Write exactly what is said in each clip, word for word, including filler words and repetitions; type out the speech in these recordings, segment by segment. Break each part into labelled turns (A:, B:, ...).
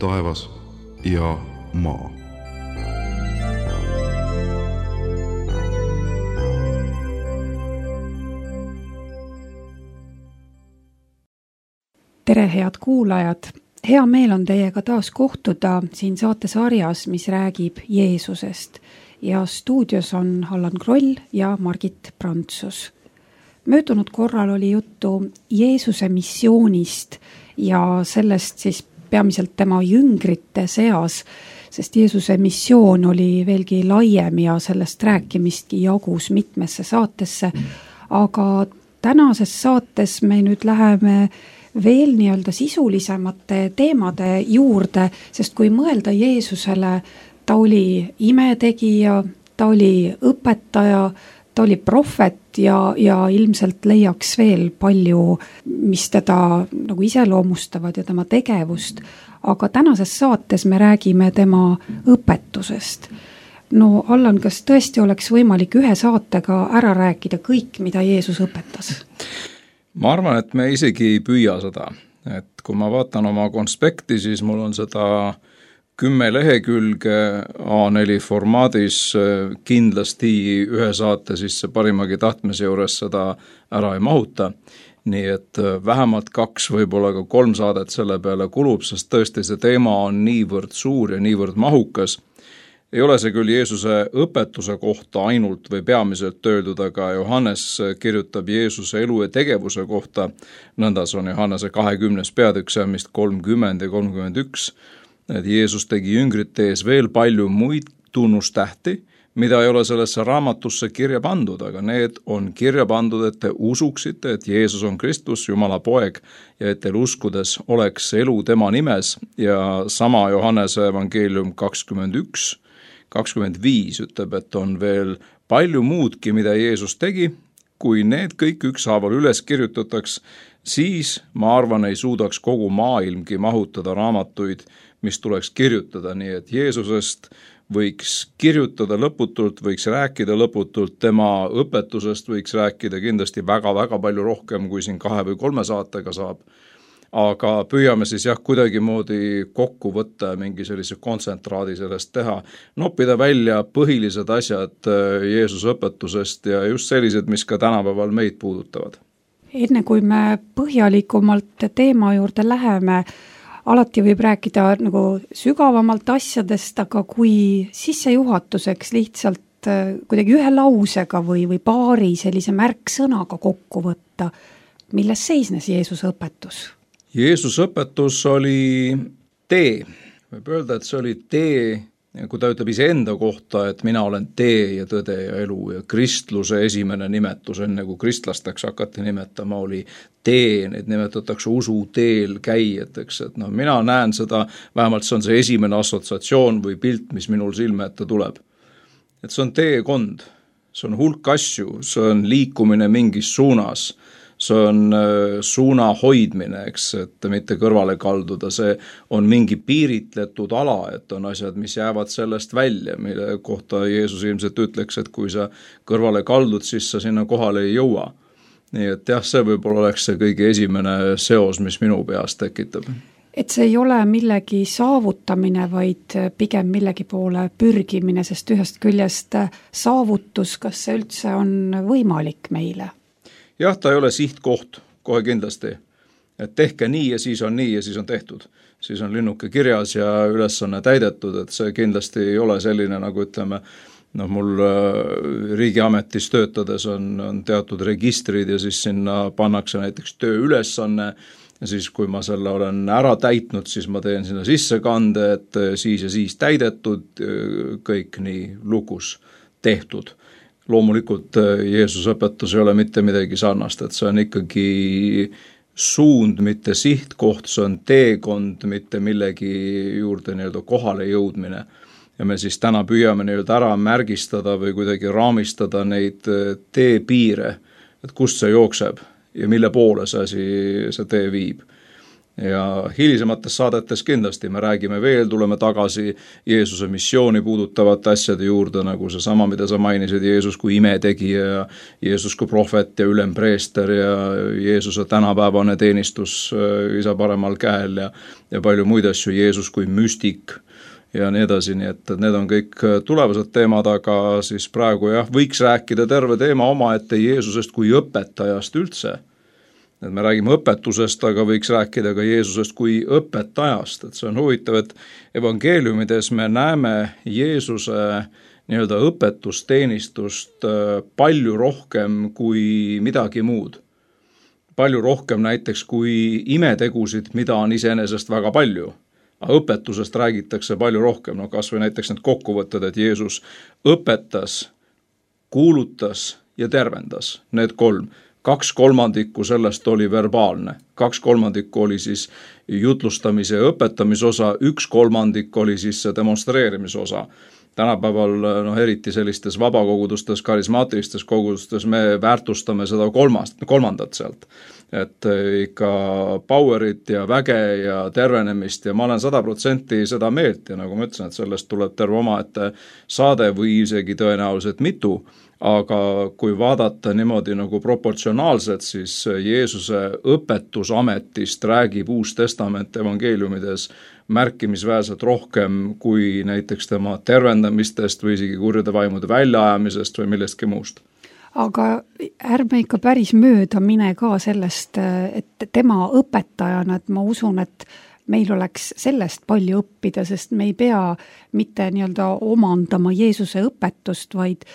A: taevas ja maa.
B: Tere, head kuulajad! Hea meel on teiega taas kohtuda siin saatesarjas, mis räägib Jeesusest. Ja stuudios on Allan Kroll ja Margit Prantsus. Möödunud korral oli juttu Jeesuse missioonist ja sellest siis peamiselt tema jüngrite seas, sest Jeesuse missioon oli veelgi laiem ja sellest rääkimistki jagus mitmesse saatesse. Aga tänases saates me nüüd läheme veel nii-öelda sisulisemate teemade juurde, sest kui mõelda Jeesusele, ta oli imetegija, ta oli õpetaja, ta oli prohvet ja, ja ilmselt leiaks veel palju, mis teda nagu iseloomustavad ja tema tegevust. Aga tänases saates me räägime tema õpetusest. No Allan, kas tõesti oleks võimalik ühe saatega ära rääkida kõik, mida Jeesus õpetas?
C: Ma arvan, et me isegi ei püüa seda, et kui ma vaatan oma konspekti, siis mul on seda kümme lehekülge A neli formaadis, kindlasti ühe saate sisse parimagi tahtmise juures seda ära ei mahuta, nii et vähemalt kaks, võib-olla ka kolm saadet selle peale kulub, sest tõesti see teema on niivõrd suur ja niivõrd mahukas. Ei ole see küll Jeesuse õpetuse kohta ainult või peamiselt öeldud, aga Johannes kirjutab Jeesuse elu ja tegevuse kohta, nõndas on Johannese kahekümnes peatükk, mist kolmkümmend ja kolmkümmend üks, et Jeesus tegi jüngrite ees veel palju muid tunnustähti, mida ei ole sellesse raamatusse kirja pandud, aga need on kirja pandud, et te usuksite, et Jeesus on Kristus, Jumala poeg, ja et teil uskudes oleks elu tema nimes, ja sama Johannese evangeelium kakskümmend üks, kakskümmend viis ütleb, et on veel palju muudki, mida Jeesus tegi, kui need kõik ükshaaval üles kirjutataks, siis ma arvan, ei suudaks kogu maailmgi mahutada raamatuid, mis tuleks kirjutada, nii et Jeesusest võiks kirjutada lõputult, võiks rääkida lõputult, tema õpetusest võiks rääkida kindlasti väga-väga palju rohkem, kui siin kahe või kolme saatega saab. Aga püüame siis jah kuidagi moodi kokku võtta mingi sellise kontsentraadi sellest teha, noppida välja põhilised asjad Jeesuse õpetusest ja just sellised, mis ka tänapäeval meid puudutavad.
B: Enne kui me põhjalikumalt teema juurde läheme, alati võib rääkida nagu sügavamalt asjadest, aga kui sissejuhatuseks lihtsalt kuidagi ühe lausega või, või paari sellise märksõnaga kokku võtta, milles seisnes Jeesuse õpetus?
C: Jeesuse õpetus oli tee. Võib öelda, et see oli tee, kui ta ütleb iseenda kohta, et mina olen tee ja tõde ja elu ja kristluse esimene nimetus, enne kui kristlasteks hakati nimetama, oli tee, neid nimetatakse usu teel käijateks, et no mina näen seda, vähemalt see on see esimene assotsiatsioon või pilt, mis minul silme ette tuleb. Et see on teekond, see on hulk asju, see on liikumine mingis suunas, see on suuna hoidmine, eks, et mitte kõrvale kalduda, see on mingi piiritletud ala, et on asjad, mis jäävad sellest välja, mille kohta Jeesus ilmselt ütleks, et kui sa kõrvale kaldud, siis sa sinna kohale ei jõua. Nii et jah, see võib-olla oleks see kõige esimene seos, mis minu peas tekitab.
B: Et see ei ole millegi saavutamine, vaid pigem millegi poole pürgimine, sest ühest küljest saavutus, kas see üldse on võimalik meile?
C: Jah, ta ei ole sihtkoht, kohe kindlasti, et tehke nii ja siis on nii ja siis on tehtud. Siis on linnuke kirjas ja ülesanne täidetud, et see kindlasti ei ole selline, nagu ütleme, no mul riigiametis töötades on, on teatud registrid ja siis sinna pannakse näiteks tööülesanne ja siis kui ma selle olen ära täitnud, siis ma teen sinna sissekande, et siis ja siis täidetud, kõik nii lukus tehtud. Loomulikult Jeesuse õpetus ei ole mitte midagi sarnast, et see on ikkagi suund, mitte sihtkoht, see on teekond, mitte millegi juurde nii-öelda kohale jõudmine. Ja me siis täna püüame nii-öelda ära märgistada või kuidagi raamistada neid teepiire, et kust see jookseb ja mille poole see, see tee viib. ja hilisemates saadetes kindlasti me räägime veel, tuleme tagasi Jeesuse missiooni puudutavate asjade juurde, nagu see sama, mida sa mainisid, Jeesus kui imetegija ja Jeesus kui prohvet ja ülempreester ja Jeesuse tänapäevane teenistus isa paremal käel ja, ja palju muid asju, Jeesus kui müstik ja nii edasi, nii et need on kõik tulevased teemad, aga siis praegu jah, võiks rääkida terve teema omaette Jeesusest kui õpetajast üldse. Et me räägime õpetusest, aga võiks rääkida ka Jeesusest kui õpetajast, et see on huvitav, et evangeeliumides me näeme Jeesuse nii-öelda õpetusteenistust palju rohkem kui midagi muud. Palju rohkem näiteks kui imetegusid, mida on iseenesest väga palju. Aga õpetusest räägitakse palju rohkem, no kas või näiteks need kokkuvõtted, et Jeesus õpetas, kuulutas ja tervendas, need kolm. Kaks kolmandikku sellest oli verbaalne, kaks kolmandikku oli siis jutlustamise ja õpetamise osa, üks kolmandik oli siis demonstreerimise osa. Tänapäeval no, eriti sellistes vabakogudustes, karismaatilistes kogudustes me väärtustame seda kolmast, kolmandat sealt. Et ikka powerit ja väge ja tervenemist ja ma olen sada protsenti seda meelt ja nagu ma ütlesin, et sellest tuleb terve omaette saade või isegi tõenäoliselt mitu. Aga kui vaadata niimoodi nagu proportsionaalselt, siis Jeesuse õpetusametist räägib Uus Testament evangeeliumides märkimisväärselt rohkem kui näiteks tema tervendamistest või isegi kurjade vaimude väljaajamisest või millestki muust.
B: Aga ärme ikka päris mööda mine ka sellest, et tema õpetajana, et ma usun, et meil oleks sellest palju õppida, sest me ei pea mitte nii-öelda omandama Jeesuse õpetust, vaid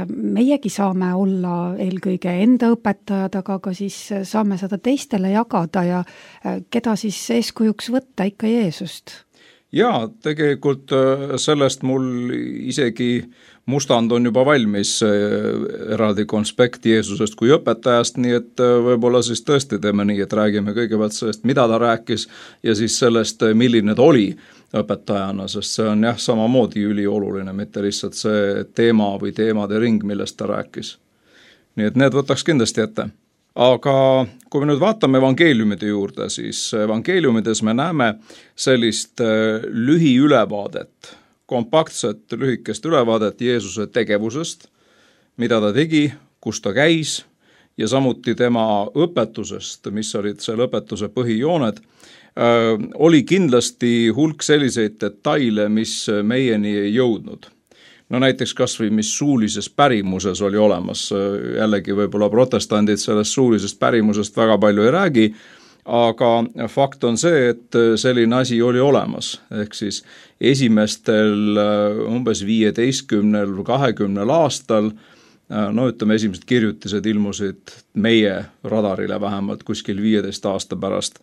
B: meiegi saame olla eelkõige enda õpetajad, aga ka siis saame seda teistele jagada ja keda siis eeskujuks võtta ikka Jeesust.
C: Jaa, tegelikult sellest mul isegi mustand on juba valmis eraldi konspekt Jeesusest kui õpetajast, nii et võib-olla siis tõesti teeme nii, et räägime kõigepealt sellest, mida ta rääkis ja siis sellest, milline ta oli õpetajana, sest see on jah, samamoodi ülioluline, mitte lihtsalt see teema või teemade ring, millest ta rääkis. Nii et need võtaks kindlasti ette. Aga kui me nüüd vaatame evangeeliumide juurde, siis evangeeliumides me näeme sellist lühiülevaadet, kompaktset lühikest ülevaadet Jeesuse tegevusest, mida ta tegi, kus ta käis ja samuti tema õpetusest, mis olid selle õpetuse põhijooned, oli kindlasti hulk selliseid detaile, mis meieni ei jõudnud. No näiteks kas või mis suulises pärimuses oli olemas, jällegi võib-olla protestandid sellest suulisest pärimusest väga palju ei räägi, aga fakt on see, et selline asi oli olemas, ehk siis esimestel umbes viieteistkümnel või kahekümnel aastal, no ütleme, esimesed kirjutised ilmusid meie radarile vähemalt kuskil viieteist aasta pärast,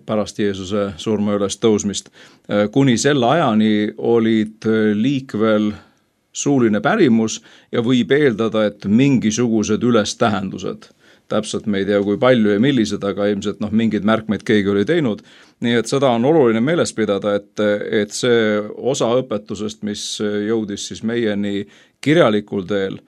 C: pärast Jeesuse surma üles tõusmist. Kuni selle ajani olid liikvel suuline pärimus ja võib eeldada, et mingisugused ülestähendused. Täpselt me ei tea, kui palju ja millised, aga ilmselt noh, mingid märkmeid keegi oli teinud. Nii et seda on oluline meeles pidada, et, et see osa õpetusest, mis jõudis siis meieni kirjalikul teel,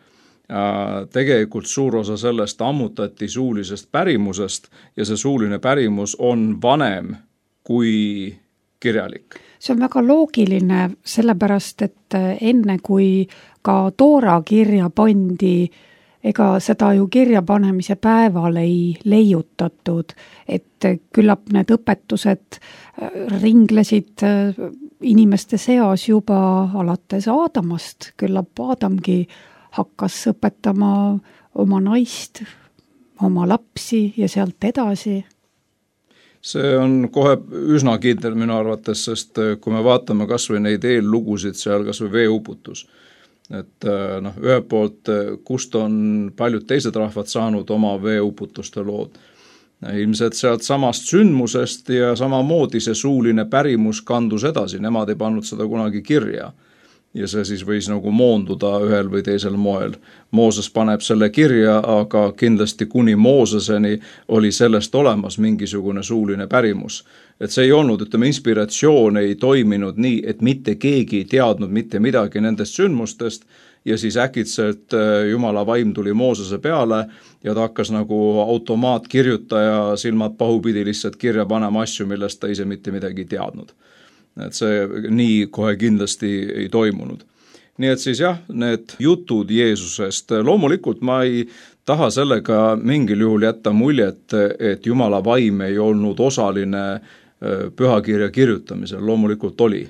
C: tegelikult suur osa sellest ammutati suulisest pärimusest ja see suuline pärimus on vanem kui kirjalik.
B: See on väga loogiline, sellepärast, et enne kui ka Toora kirja pandi, ega seda ju kirja panemise päeval ei leiutatud, et küllap need õpetused ringlesid inimeste seas juba alates Aadamast, küllap Aadamgi hakkas õpetama oma naist, oma lapsi ja sealt edasi.
C: See on kohe üsna kindel minu arvates, sest kui me vaatame kas või neid eellugusid seal, kas või veeuputus, et noh, ühelt poolt, kust on paljud teised rahvad saanud oma veeuputuste lood. Ilmselt sealt samast sündmusest ja samamoodi see suuline pärimus kandus edasi, nemad ei pannud seda kunagi kirja. Ja see siis võis nagu moonduda ühel või teisel moel. Mooses paneb selle kirja, aga kindlasti kuni Mooseseni oli sellest olemas mingisugune suuline pärimus. Et see ei olnud, ütleme, inspiratsioon ei toiminud nii, et mitte keegi ei teadnud mitte midagi nendest sündmustest ja siis äkitselt Jumala vaim tuli Moosese peale ja ta hakkas nagu automaatkirjutaja silmad pahupidi lihtsalt kirja panema asju, millest ta ise mitte midagi teadnud. Et see nii kohe kindlasti ei toimunud. Nii et siis jah, need jutud Jeesusest, loomulikult ma ei taha sellega mingil juhul jätta muljet, et Jumala vaim ei olnud osaline pühakirja kirjutamisel, loomulikult oli.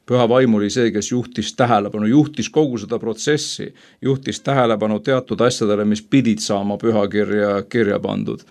C: Püha vaim oli see, kes juhtis tähelepanu, juhtis kogu seda protsessi, juhtis tähelepanu teatud asjadele, mis pidid saama pühakirja kirja pandud.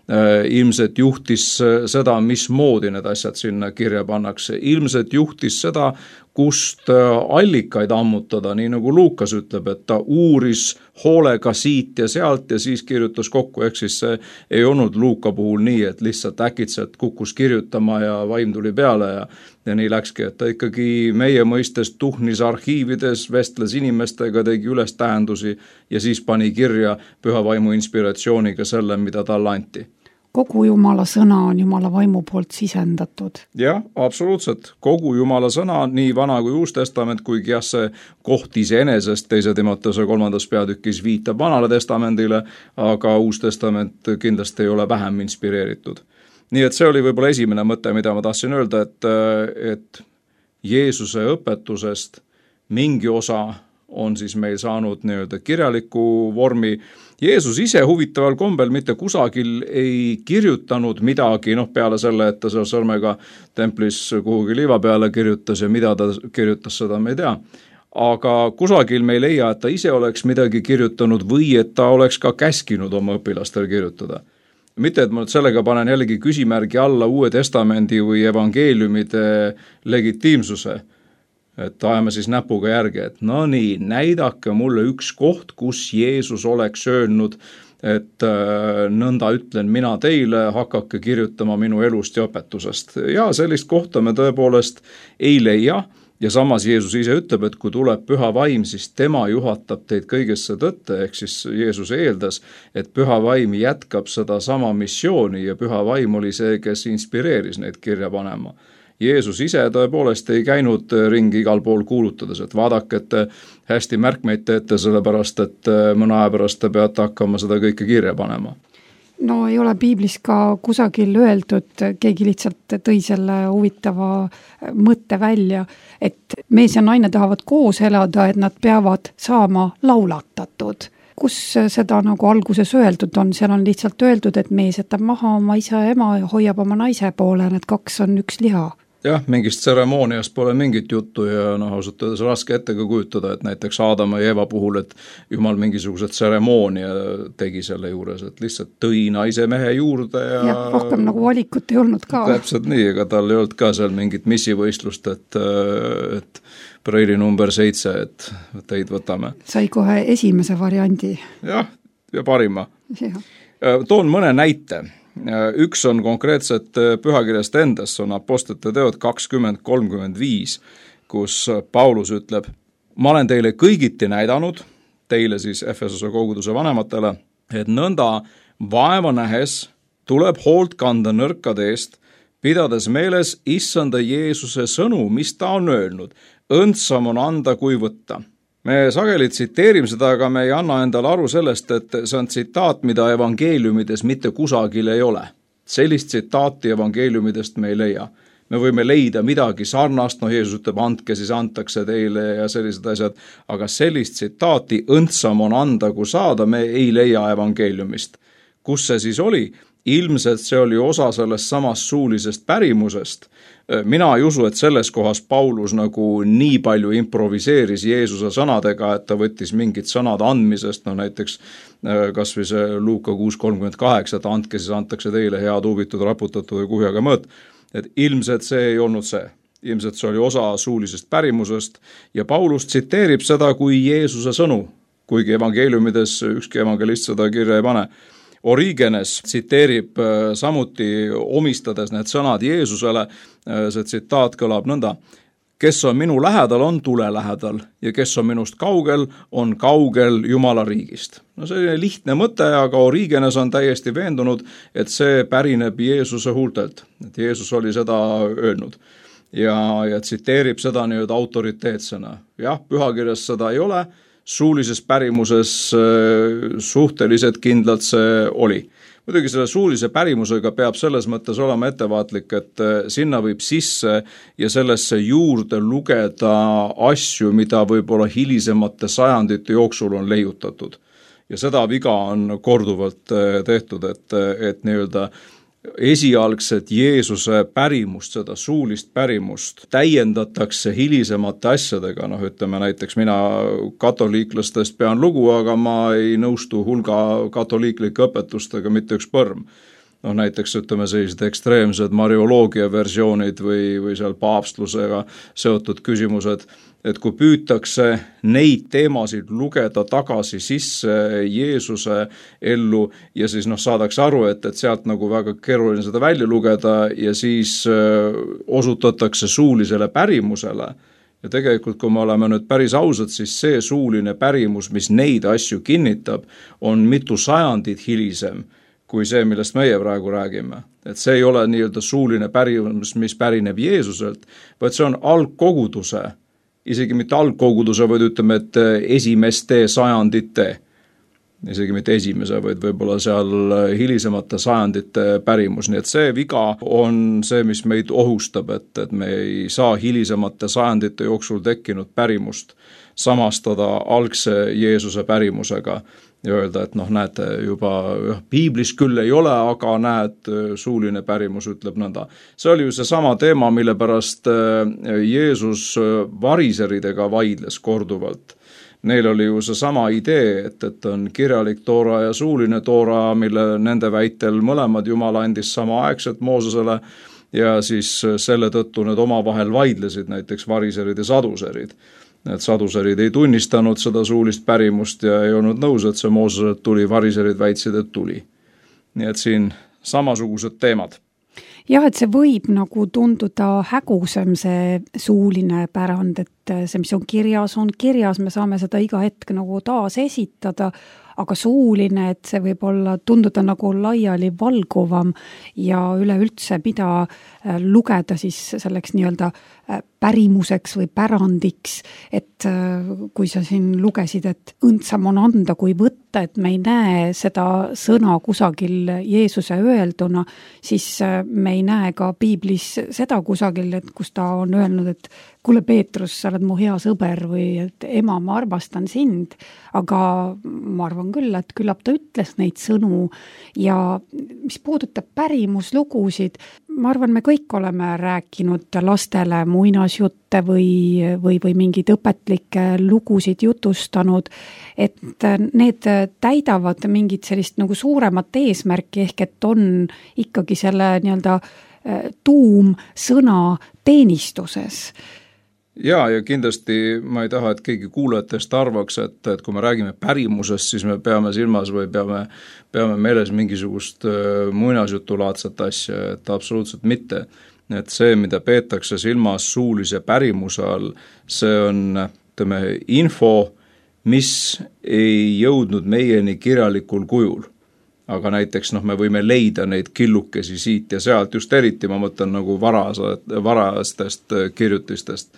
C: Ilmselt juhtis seda, mismoodi need asjad sinna kirja pannakse. Ilmselt juhtis seda, kust allikaid ammutada, nii nagu Luukas ütleb, et ta uuris hoolega siit ja sealt ja siis kirjutas kokku, ehk siis see ei olnud Luuka puhul nii, et lihtsalt äkitselt kukkus kirjutama ja vaim tuli peale ja, ja nii läkski, et ta ikkagi meie mõistes tuhnis arhiivides, vestles inimestega, tegi üles tähendusi ja siis pani kirja püha vaimu inspiratsiooniga selle, mida talle anti.
B: Kogu Jumala sõna on Jumala vaimu poolt sisendatud.
C: Jah, absoluutselt. Kogu Jumala sõna, nii vana kui uus testament, kuigi jah, see koht iseenesest teise Timoteuse kolmandas peatükis viitab vanale testamendile, aga uus testament kindlasti ei ole vähem inspireeritud. Nii et see oli võib-olla esimene mõte, mida ma tahtsin öelda, et, et Jeesuse õpetusest mingi osa on siis meil saanud nii-öelda kirjaliku vormi. Jeesus ise huvitaval kombel mitte kusagil ei kirjutanud midagi, noh peale selle, et ta seal sõrmega templis kuhugi liiva peale kirjutas ja mida ta kirjutas, seda me ei tea. Aga kusagil me ei leia, et ta ise oleks midagi kirjutanud või et ta oleks ka käskinud oma õpilastel kirjutada. Mitte, et ma nüüd sellega panen jällegi küsimärgi alla Uue Testamendi või evangeeliumide legitiimsuse, et ajame siis näpuga järgi, et no nii, näidake mulle üks koht, kus Jeesus oleks öelnud, et äh, nõnda ütlen mina teile, hakake kirjutama minu elust ja õpetusest. Ja sellist kohta me tõepoolest ei leia ja samas Jeesus ise ütleb, et kui tuleb püha vaim, siis tema juhatab teid kõigesse tõtte, ehk siis Jeesus eeldas, et püha vaim jätkab seda sama missiooni ja püha vaim oli see, kes inspireeris neid kirja panema. Jeesus ise tõepoolest ei käinud ringi igal pool kuulutades, et vaadake, et hästi märkmeid teete, sellepärast, et mõne aja pärast te peate hakkama seda kõike kirja panema.
B: No ei ole piiblis ka kusagil öeldud, keegi lihtsalt tõi selle huvitava mõtte välja, et mees ja naine tahavad koos elada, et nad peavad saama laulatatud. Kus seda nagu alguses öeldud on, seal on lihtsalt öeldud, et mees jätab maha oma isa ja ema ja hoiab oma naise poole, need kaks on üks liha.
C: Jah, mingist tseremooniast pole mingit juttu ja noh, ausalt öeldes raske ette ka kujutada, et näiteks Aadama ja Eeva puhul, et Jumal mingisugused tseremoonia tegi selle juures, et lihtsalt tõi naise mehe juurde ja...
B: Jah, rohkem nagu valikut ei olnud ka.
C: Täpselt nii, ega tal ei olnud ka seal mingit missivõistlust, et, et preili number seitse, et teid võtame.
B: Sai kohe esimese variandi.
C: Jah, ja parima.
B: Ja.
C: Toon mõne näite. Üks on konkreetselt pühakirjast endas, on apostlite teod kakskümmend kolmkümmend viis, kus Paulus ütleb, ma olen teile kõigiti näidanud, teile siis Efesose koguduse vanematele, et nõnda vaeva nähes tuleb hoolt kanda nõrkade eest, pidades meeles issanda Jeesuse sõnu, mis ta on öelnud, õndsam on anda kui võtta. Me sageli tsiteerime seda, aga me ei anna endale aru sellest, et see on tsitaat, mida evangeeliumides mitte kusagil ei ole. Sellist tsitaati evangeeliumidest me ei leia. Me võime leida midagi sarnast, no Jeesus ütleb, andke, siis antakse teile ja sellised asjad, aga sellist tsitaati õndsam on anda kui saada, me ei leia evangeeliumist. Kus see siis oli? Ilmselt see oli osa sellest samast suulisest pärimusest. Mina ei usu, et selles kohas Paulus nagu nii palju improviseeris Jeesuse sõnadega, et ta võttis mingid sõnad andmisest, no näiteks kas või see Luuka kuus kolmkümmend kaheksa, et andke, siis antakse teile head huvitud, raputatud ja kuhjaga mõõt. Et ilmselt see ei olnud see. Ilmselt see oli osa suulisest pärimusest ja Paulus tsiteerib seda kui Jeesuse sõnu, kuigi evangeeliumides ükski evangelist seda kirja ei pane. Origenes tsiteerib samuti omistades need sõnad Jeesusele, see tsitaat kõlab nõnda, kes on minu lähedal, on tule lähedal ja kes on minust kaugel, on kaugel Jumala riigist. No selline lihtne mõte, aga Origenes on täiesti veendunud, et see pärineb Jeesuse huultelt, et Jeesus oli seda öelnud ja, ja tsiteerib seda nüüd autoriteetsena. Jah, pühakirjas seda ei ole, suulises pärimuses suhteliselt kindlalt see oli. Muidugi selle suulise pärimusega peab selles mõttes olema ettevaatlik, et sinna võib sisse ja sellesse juurde lugeda asju, mida võib-olla hilisemate sajandite jooksul on leiutatud. Ja seda viga on korduvalt tehtud, et, et nii-öelda esialgset Jeesuse pärimust, seda suulist pärimust täiendatakse hilisemate asjadega, noh ütleme näiteks mina katoliiklastest pean lugu, aga ma ei nõustu hulga katoliiklike õpetustega mitte üks põrm. Noh näiteks ütleme sellised ekstreemsed marioloogia versioonid või, või seal paavstlusega seotud küsimused, et kui püütakse neid teemasid lugeda tagasi sisse Jeesuse ellu ja siis noh saadakse aru, et, et sealt nagu väga keeruline seda välja lugeda ja siis öö, osutatakse suulisele pärimusele. Ja tegelikult, kui me oleme nüüd päris ausad, siis see suuline pärimus, mis neid asju kinnitab, on mitu sajandit hilisem kui see, millest meie praegu räägime. Et see ei ole nii-öelda suuline pärimus, mis pärineb Jeesuselt, vaid see on algkoguduse, isegi mitte algkoguduse, vaid ütleme, et esimeste sajandite, isegi mitte esimese, vaid võib-olla seal hilisemate sajandite pärimus. Nii et see viga on see, mis meid ohustab, et, et me ei saa hilisemate sajandite jooksul tekkinud pärimust samastada algse Jeesuse pärimusega ja öelda, et noh, näete, juba piiblis küll ei ole, aga näed, suuline pärimus ütleb nõnda. See oli ju see sama teema, mille pärast Jeesus variseridega vaidles korduvalt. Neil oli ju see sama idee, et, et on kirjalik toora ja suuline toora, mille nende väitel mõlemad Jumal andis samaaegselt Moosesele ja siis selle tõttu need omavahel vaidlesid, näiteks variserid ja saduserid. Need saduserid ei tunnistanud seda suulist pärimust ja ei olnud nõus, et see Mooseselt tuli, variserid väitsid, et tuli. Nii et siin samasugused teemad.
B: Jah, et see võib nagu tunduda hägusem see suuline pärand, et see, mis on kirjas, on kirjas, me saame seda iga hetk nagu taas esitada, aga suuline, et see võib olla tunduda nagu laiali valguvam ja üleüldse mida lugeda siis selleks nii-öelda pärimuseks või pärandiks, et kui sa siin lugesid, et õndsam on anda kui võtta, et me ei näe seda sõna kusagil Jeesuse öelduna, siis me ei näe ka piiblis seda kusagil, et kus ta on öelnud, et kuule Peetrus, sa oled mu hea sõber või et ema, ma armastan sind, aga ma arvan küll, et küllap ta ütles neid sõnu ja mis puudutab pärimuslugusid, ma arvan, me kõik oleme rääkinud lastele muinasjutte või, või, või mingeid õpetlikke lugusid jutustanud, et need täidavad mingit sellist nagu suuremat eesmärki, ehk et on ikkagi selle nii-öelda tuum sõna teenistuses.
C: Ja, ja kindlasti ma ei taha, et keegi kuulajatest arvaks, et, et kui me räägime pärimusest, siis me peame silmas või peame, peame meeles mingisugust muinasjutulaadset asja, et absoluutselt mitte. Et see, mida peetakse silmas suulise pärimuse all, see on ütleme, info, mis ei jõudnud meieni kirjalikul kujul. Aga näiteks noh, me võime leida neid killukesi siit ja sealt, just eriti ma mõtlen nagu varastest kirjutistest,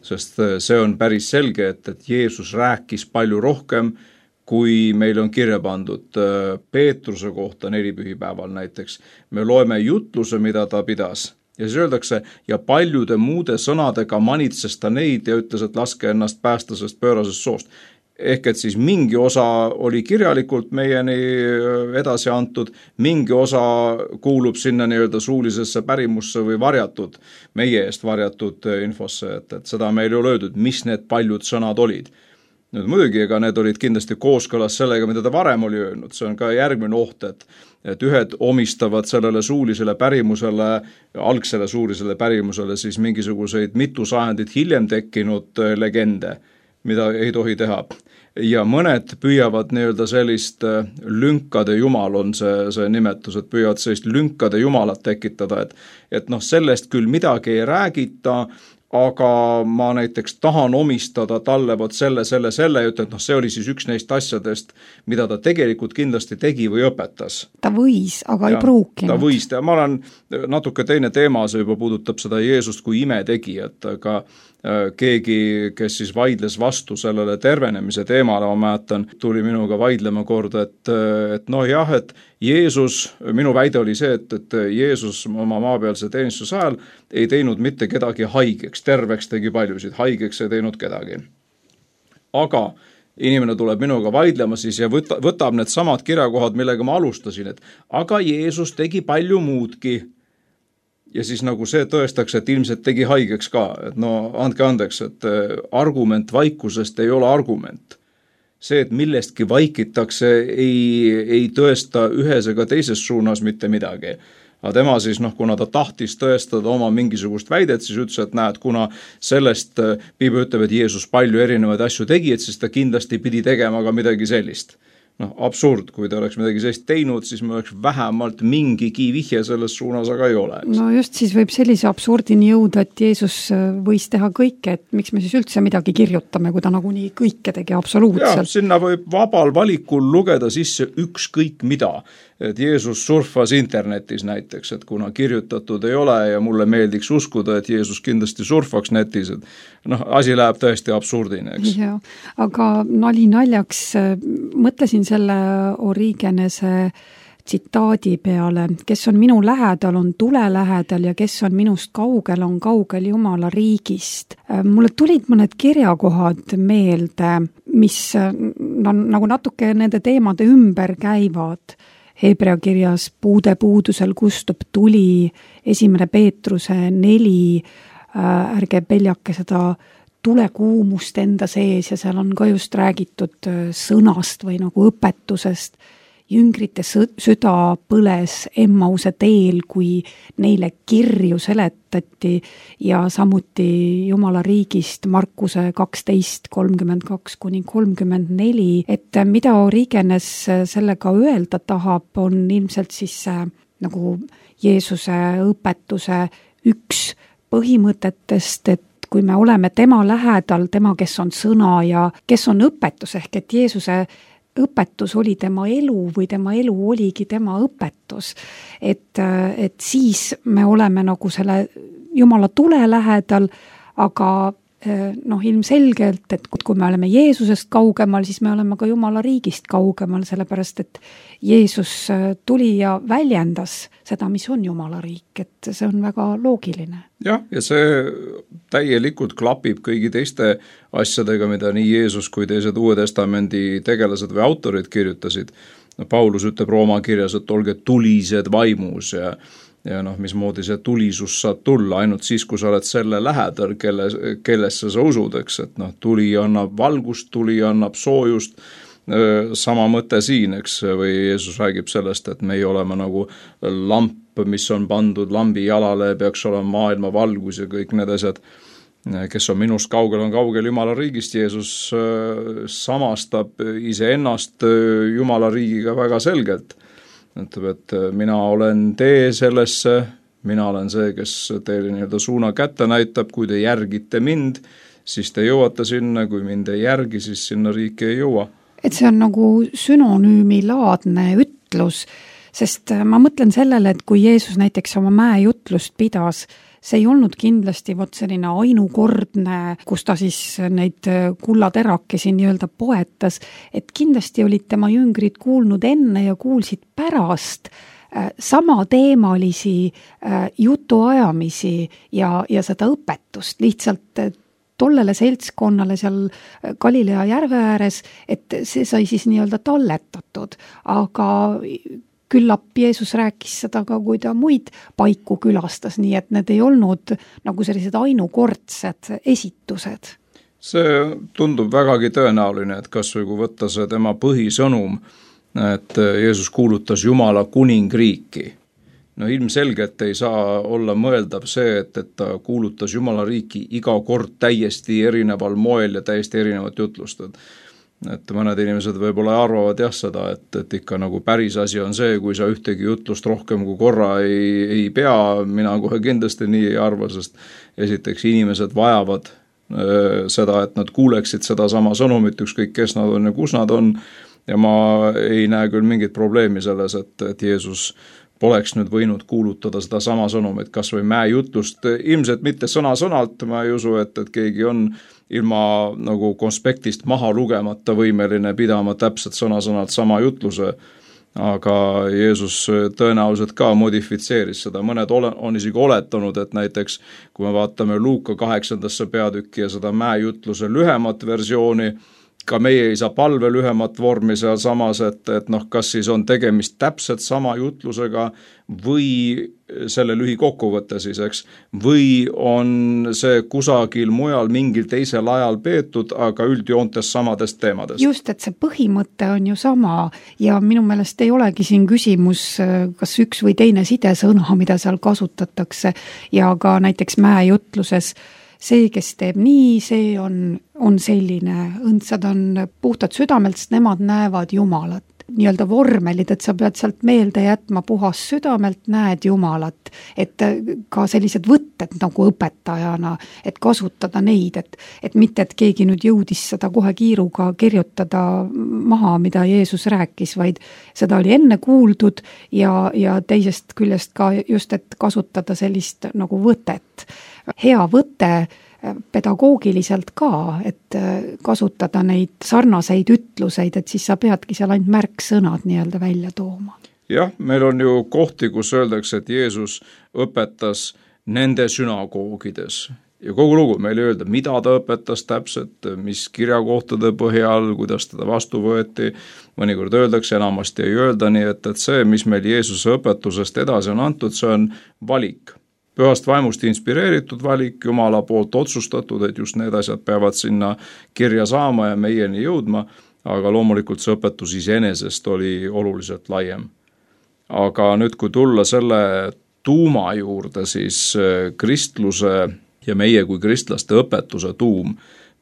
C: sest see on päris selge, et, et Jeesus rääkis palju rohkem, kui meil on kirja pandud Peetruse kohta nelipühipäeval näiteks. Me loeme jutluse, mida ta pidas ja siis öeldakse, ja paljude muude sõnadega manitses ta neid ja ütles, et laske ennast päästa sest pöörasest soost. Ehk et siis mingi osa oli kirjalikult meieni edasi antud, mingi osa kuulub sinna nii-öelda suulisesse pärimusse või varjatud, meie eest varjatud infosse, et, et seda meil ei ole öeldud, mis need paljud sõnad olid. Nüüd muidugi, ega need olid kindlasti kooskõlas sellega, mida ta varem oli öelnud, see on ka järgmine oht, et, et ühed omistavad sellele suulisele pärimusele, algsele suulisele pärimusele siis mingisuguseid mitu sajandit hiljem tekkinud legende, mida ei tohi teha. Ja mõned püüavad nii-öelda sellist lünkade jumal on see, see nimetus, et püüavad sellist lünkade jumalat tekitada, et, et noh, sellest küll midagi ei räägita, aga ma näiteks tahan omistada talle vot selle, selle, selle ja ütlen, et noh, see oli siis üks neist asjadest, mida ta tegelikult kindlasti tegi või õpetas.
B: Ta võis, aga ja, ei pruukinud.
C: Ta võis teha, ma olen natuke teine teema, see juba puudutab seda Jeesust kui imetegijat, aga keegi, kes siis vaidles vastu sellele tervenemise teemale, ma mäletan, tuli minuga vaidlema kord, et, et noh jah, et Jeesus, minu väide oli see, et, et Jeesus oma maapealse teenistuse ajal ei teinud mitte kedagi haigeks, terveks tegi paljusid, haigeks ei teinud kedagi. Aga inimene tuleb minuga vaidlema siis ja võta, võtab need samad kirjakohad, millega ma alustasin, et aga Jeesus tegi palju muudki. Ja siis nagu see tõestaks, et ilmselt tegi haigeks ka, et no andke andeks, et argument vaikusest ei ole argument. See, et millestki vaikitakse, ei, ei tõesta ühes ega teises suunas mitte midagi. Aga tema siis, noh, kuna ta tahtis tõestada oma mingisugust väidet, siis ütles, et näed, kuna sellest Piibel ütleb, et Jeesus palju erinevaid asju tegi, et siis ta kindlasti pidi tegema ka midagi sellist. Noh, absurd, kui ta oleks midagi sellist teinud, siis me oleks vähemalt mingigi vihje selles suunas, aga ei ole.
B: No just siis võib sellise absurdini jõuda, et Jeesus võis teha kõike, et miks me siis üldse midagi kirjutame, kui ta nagunii kõike tegi absoluutselt.
C: Ja, sinna võib vabal valikul lugeda sisse ükskõik mida. Et Jeesus surfas internetis näiteks, et kuna kirjutatud ei ole ja mulle meeldiks uskuda, et Jeesus kindlasti surfaks netis, et noh, asi läheb tõesti absurdine, eks.
B: Ja, aga nali naljaks mõtlesin selle Origenese tsitaadi peale, kes on minu lähedal, on tule lähedal ja kes on minust kaugel, on kaugel Jumala riigist. Mulle tulid mõned kirjakohad meelde, mis no, nagu natuke nende teemade ümber käivad. Hebrea kirjas puude puudusel kustub tuli, esimene Peetruse neli, ärge peljake seda tulekuumust enda sees ja seal on ka just räägitud sõnast või nagu õpetusest. Jüngrite süda põles Emmause teel, kui neile kirju seletati ja samuti Jumala riigist Markuse kaksteist kolmkümmend kaks kuni kolmkümmend neli, et mida Origenes sellega öelda tahab, on ilmselt siis nagu Jeesuse õpetuse üks põhimõtetest, et kui me oleme tema lähedal, tema, kes on sõna ja kes on õpetus, ehk et Jeesuse õpetus oli tema elu või tema elu oligi tema õpetus. Et, et siis me oleme nagu selle Jumala tule lähedal, aga noh, ilmselgelt, et kui me oleme Jeesusest kaugemal, siis me oleme ka Jumala riigist kaugemal, sellepärast et Jeesus tuli ja väljendas seda, mis on Jumala riik, et see on väga loogiline.
C: Jah, ja see täielikult klapib kõigi teiste asjadega, mida nii Jeesus kui teised Uue Testamendi tegelased või autorid kirjutasid. Paulus ütleb Rooma kirjas, et olge tulised vaimus ja ja noh, mismoodi see tulisus saab tulla ainult siis, kui sa oled selle lähedal, kelle, kellesse sa usud, eks, et noh, tuli annab valgust, tuli annab soojust, sama mõte siin, eks, või Jeesus räägib sellest, et me ei oleme nagu lamp, mis on pandud lambi jalale, peaks olema maailma valgus ja kõik need asjad, kes on minust kaugel, on kaugel Jumala riigist. Jeesus samastab iseennast Jumala riigiga väga selgelt. Ütleb, et mina olen tee sellesse, mina olen see, kes teile nii-öelda suuna kätte näitab, kui te järgite mind, siis te jõuate sinna, kui mind ei järgi, siis sinna riiki ei jõua.
B: Et see on nagu sünonüümilaadne ütlus, sest ma mõtlen sellele, et kui Jeesus näiteks oma mäejutlust pidas, see ei olnud kindlasti vot selline ainukordne, kus ta siis neid kullaterakesi nii-öelda poetas, et kindlasti olid tema jüngrid kuulnud enne ja kuulsid pärast sama teemalisi jutuajamisi ja, ja seda õpetust, lihtsalt tollele seltskonnale seal Galilea järve ääres, et see sai siis nii-öelda talletatud, aga küllap Jeesus rääkis seda ka, kui ta muid paiku külastas, nii et need ei olnud nagu sellised ainukordsed esitused.
C: See tundub vägagi tõenäoline, et kas või kui võtta see tema põhisõnum, et Jeesus kuulutas Jumala kuningriiki. No ilmselgelt ei saa olla mõeldav see, et, et ta kuulutas Jumala riiki iga kord täiesti erineval moel ja täiesti erinevat jutlust. et mõned inimesed võib-olla arvavad jah seda, et, et ikka nagu päris asi on see, kui sa ühtegi jutlust rohkem kui korra ei, ei pea, mina kohe kindlasti nii ei arva, sest esiteks inimesed vajavad öö, seda, et nad kuuleksid seda sama sõnumit, ükskõik kes nad on ja kus nad on, ja ma ei näe küll mingit probleemi selles, et, et Jeesus poleks nüüd võinud kuulutada seda sama sõnumit, kas või mäejutlust, ilmselt mitte sõna-sõnalt, ma ei usu, et, et keegi on ilma nagu konspektist maha lugemata võimeline pidama täpselt sõna-sõnalt sama jutluse, aga Jeesus tõenäoliselt ka modifitseeris seda, mõned ole, on isegi oletanud, et näiteks kui me vaatame Luuka kaheksandasse peatükki ja seda mäejutluse lühemat versiooni, ka meie ei saa palve lühemat vormi seal samas, et, et noh, kas siis on tegemist täpselt sama jutlusega või selle lühikokkuvõtte siis, eks, või on see kusagil mujal mingil teisel ajal peetud, aga üldjoontes samadest teemadest.
B: Just, et see põhimõte on ju sama ja minu meelest ei olegi siin küsimus, kas üks või teine sidesõna, mida seal kasutatakse ja ka näiteks mäejutluses see, kes teeb nii, see on, on selline, õndsad on puhtad südamelt, sest nemad näevad Jumalat. Nii-öelda vormelid, et sa pead sealt meelde jätma puhas südamelt, näed Jumalat. Et ka sellised võtted nagu õpetajana, et kasutada neid, et, et mitte, et keegi nüüd jõudis seda kohe kiiruga kirjutada maha, mida Jeesus rääkis, vaid seda oli enne kuuldud ja, ja teisest küljest ka just, et kasutada sellist nagu võtet. Hea võte pedagoogiliselt ka, et kasutada neid sarnaseid ütluseid, et siis sa peadki seal ainult märksõnad nii-öelda välja tooma.
C: Jah, meil on ju kohti, kus öeldakse, et Jeesus õpetas nende sünagoogides. Ja kogu lugu meil ei öelda, mida ta õpetas täpselt, mis kirjakohtade põhjal, kuidas teda vastu võeti. Mõnikord öeldakse, enamasti ei öelda, nii et, et see, mis meil Jeesuse õpetusest edasi on antud, see on valik. Pühast vaimust inspireeritud valik, Jumala poolt otsustatud, et just need asjad peavad sinna kirja saama ja meieni jõudma, aga loomulikult see õpetus iseenesest oli oluliselt laiem. Aga nüüd, kui tulla selle tuuma juurde, siis kristluse ja meie kui kristlaste õpetuse tuum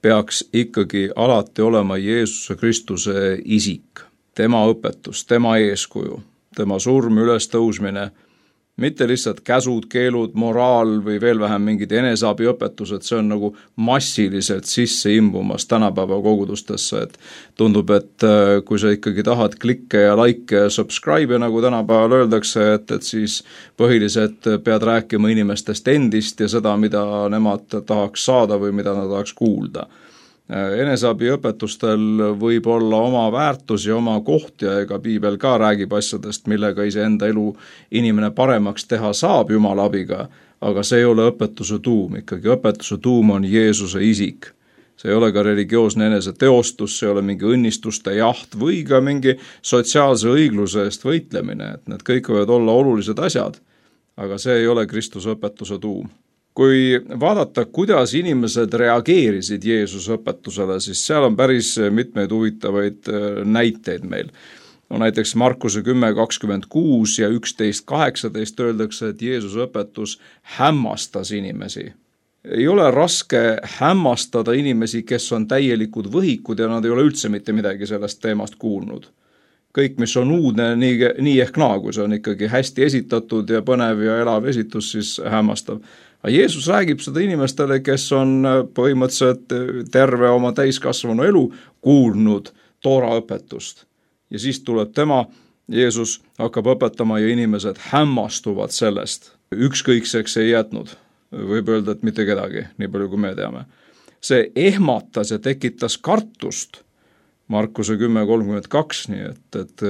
C: peaks ikkagi alati olema Jeesuse Kristuse isik, tema õpetus, tema eeskuju, tema surm, ülestõusmine, mitte lihtsalt käsud, keelud, moraal või veel vähem mingid eneseabiõpetused, see on nagu massiliselt sisse imbumas tänapäeva kogudustesse, et tundub, et kui sa ikkagi tahad klikke ja like ja subscribe, nagu tänapäeval öeldakse, et, et siis põhiliselt pead rääkima inimestest endist ja seda, mida nemad tahaks saada või mida nad tahaks kuulda. Eneseabiõpetustel võib olla oma väärtus ja oma koht ja ega piibel ka räägib asjadest, millega iseenda elu inimene paremaks teha saab Jumala abiga, aga see ei ole õpetuse tuum, ikkagi õpetuse tuum on Jeesuse isik. See ei ole ka religioosne enese teostus, see ei ole mingi õnnistuste jaht või ka mingi sotsiaalse õigluse eest võitlemine, et need kõik võivad olla olulised asjad, aga see ei ole Kristuse õpetuse tuum. Kui vaadata, kuidas inimesed reageerisid Jeesuse õpetusele, siis seal on päris mitmeid huvitavaid näiteid meil. No näiteks Markuse kümme kakskümmend kuus ja üksteist kaheksateist öeldakse, et Jeesuse õpetus hämmastas inimesi. Ei ole raske hämmastada inimesi, kes on täielikud võhikud ja nad ei ole üldse mitte midagi sellest teemast kuulnud. Kõik, mis on uudne, nii, nii ehk naa, kui see on ikkagi hästi esitatud ja põnev ja elav esitus, siis hämmastav. Aga Jeesus räägib seda inimestele, kes on põhimõtteliselt terve oma täiskasvanu elu kuulnud Toora õpetust. Ja siis tuleb tema, Jeesus hakkab õpetama ja inimesed hämmastuvad sellest. Ükskõikseks ei jätnud. Võib öelda, et mitte kedagi, nii palju kui me teame. See ehmatas ja tekitas kartust. Markuse kümme kolmkümmend kaks, nii et, et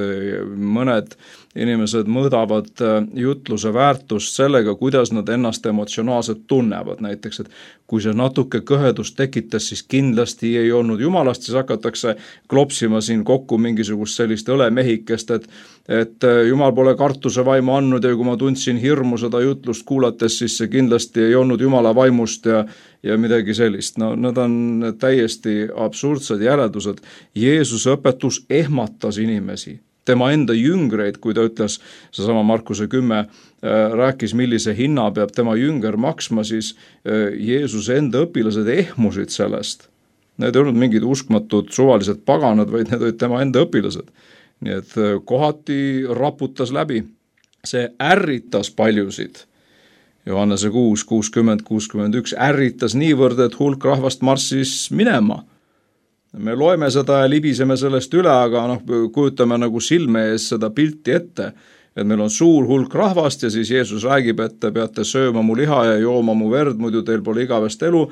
C: mõned inimesed mõõdavad jutluse väärtust sellega, kuidas nad ennast emotsionaalselt tunnevad. Näiteks, et kui see natuke kõhedust tekitas, siis kindlasti ei olnud Jumalast, siis hakatakse klopsima siin kokku mingisugust sellist õlemehikest, et, et Jumal pole kartuse vaimu andnud ja kui ma tundsin hirmu seda jutlust kuulates, siis see kindlasti ei olnud Jumala vaimust ja, ja midagi sellist. No need on täiesti absurdsed järeldused. Jeesuse õpetus ehmatas inimesi. Tema enda jüngreid, kui ta ütles, seesama Markuse kümme rääkis, millise hinna peab tema jünger maksma, siis Jeesuse enda õpilased ehmusid sellest. need ei olnud mingid uskmatud suvalised paganad, vaid need olid tema enda õpilased. Nii et kohati raputas läbi. See ärritas paljusid. Johannese kuus, kuuskümmend, kuuskümmend üks ärritas niivõrd, et hulk rahvast marssis minema. Me loeme seda ja libiseme sellest üle, aga noh, kujutame nagu silme ees seda pilti ette, et meil on suur hulk rahvast ja siis Jeesus räägib, et te peate sööma mu liha ja jooma mu verd, muidu teil pole igavest elu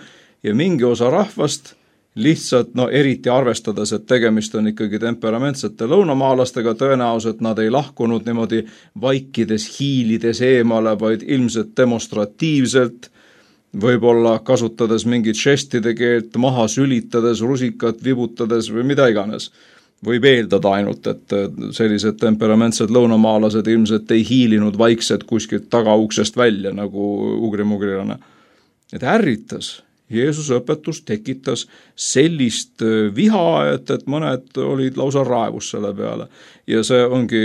C: ja mingi osa rahvast lihtsalt, no eriti arvestades, et tegemist on ikkagi temperamentsete lõunamaalastega, tõenäoliselt nad ei lahkunud niimoodi vaikides, hiilides eemale, vaid ilmselt demonstratiivselt, võib-olla kasutades mingit žestide keelt, maha sülitades, rusikat vibutades või mida iganes. Võib eeldada ainult, et sellised temperamentsed lõunamaalased ilmselt ei hiilinud vaikselt kuskilt tagauksest välja nagu ugrimugrilane. Et ärritas. Jeesuse õpetus tekitas sellist viha, et, et mõned olid lausa raevus selle peale. Ja see ongi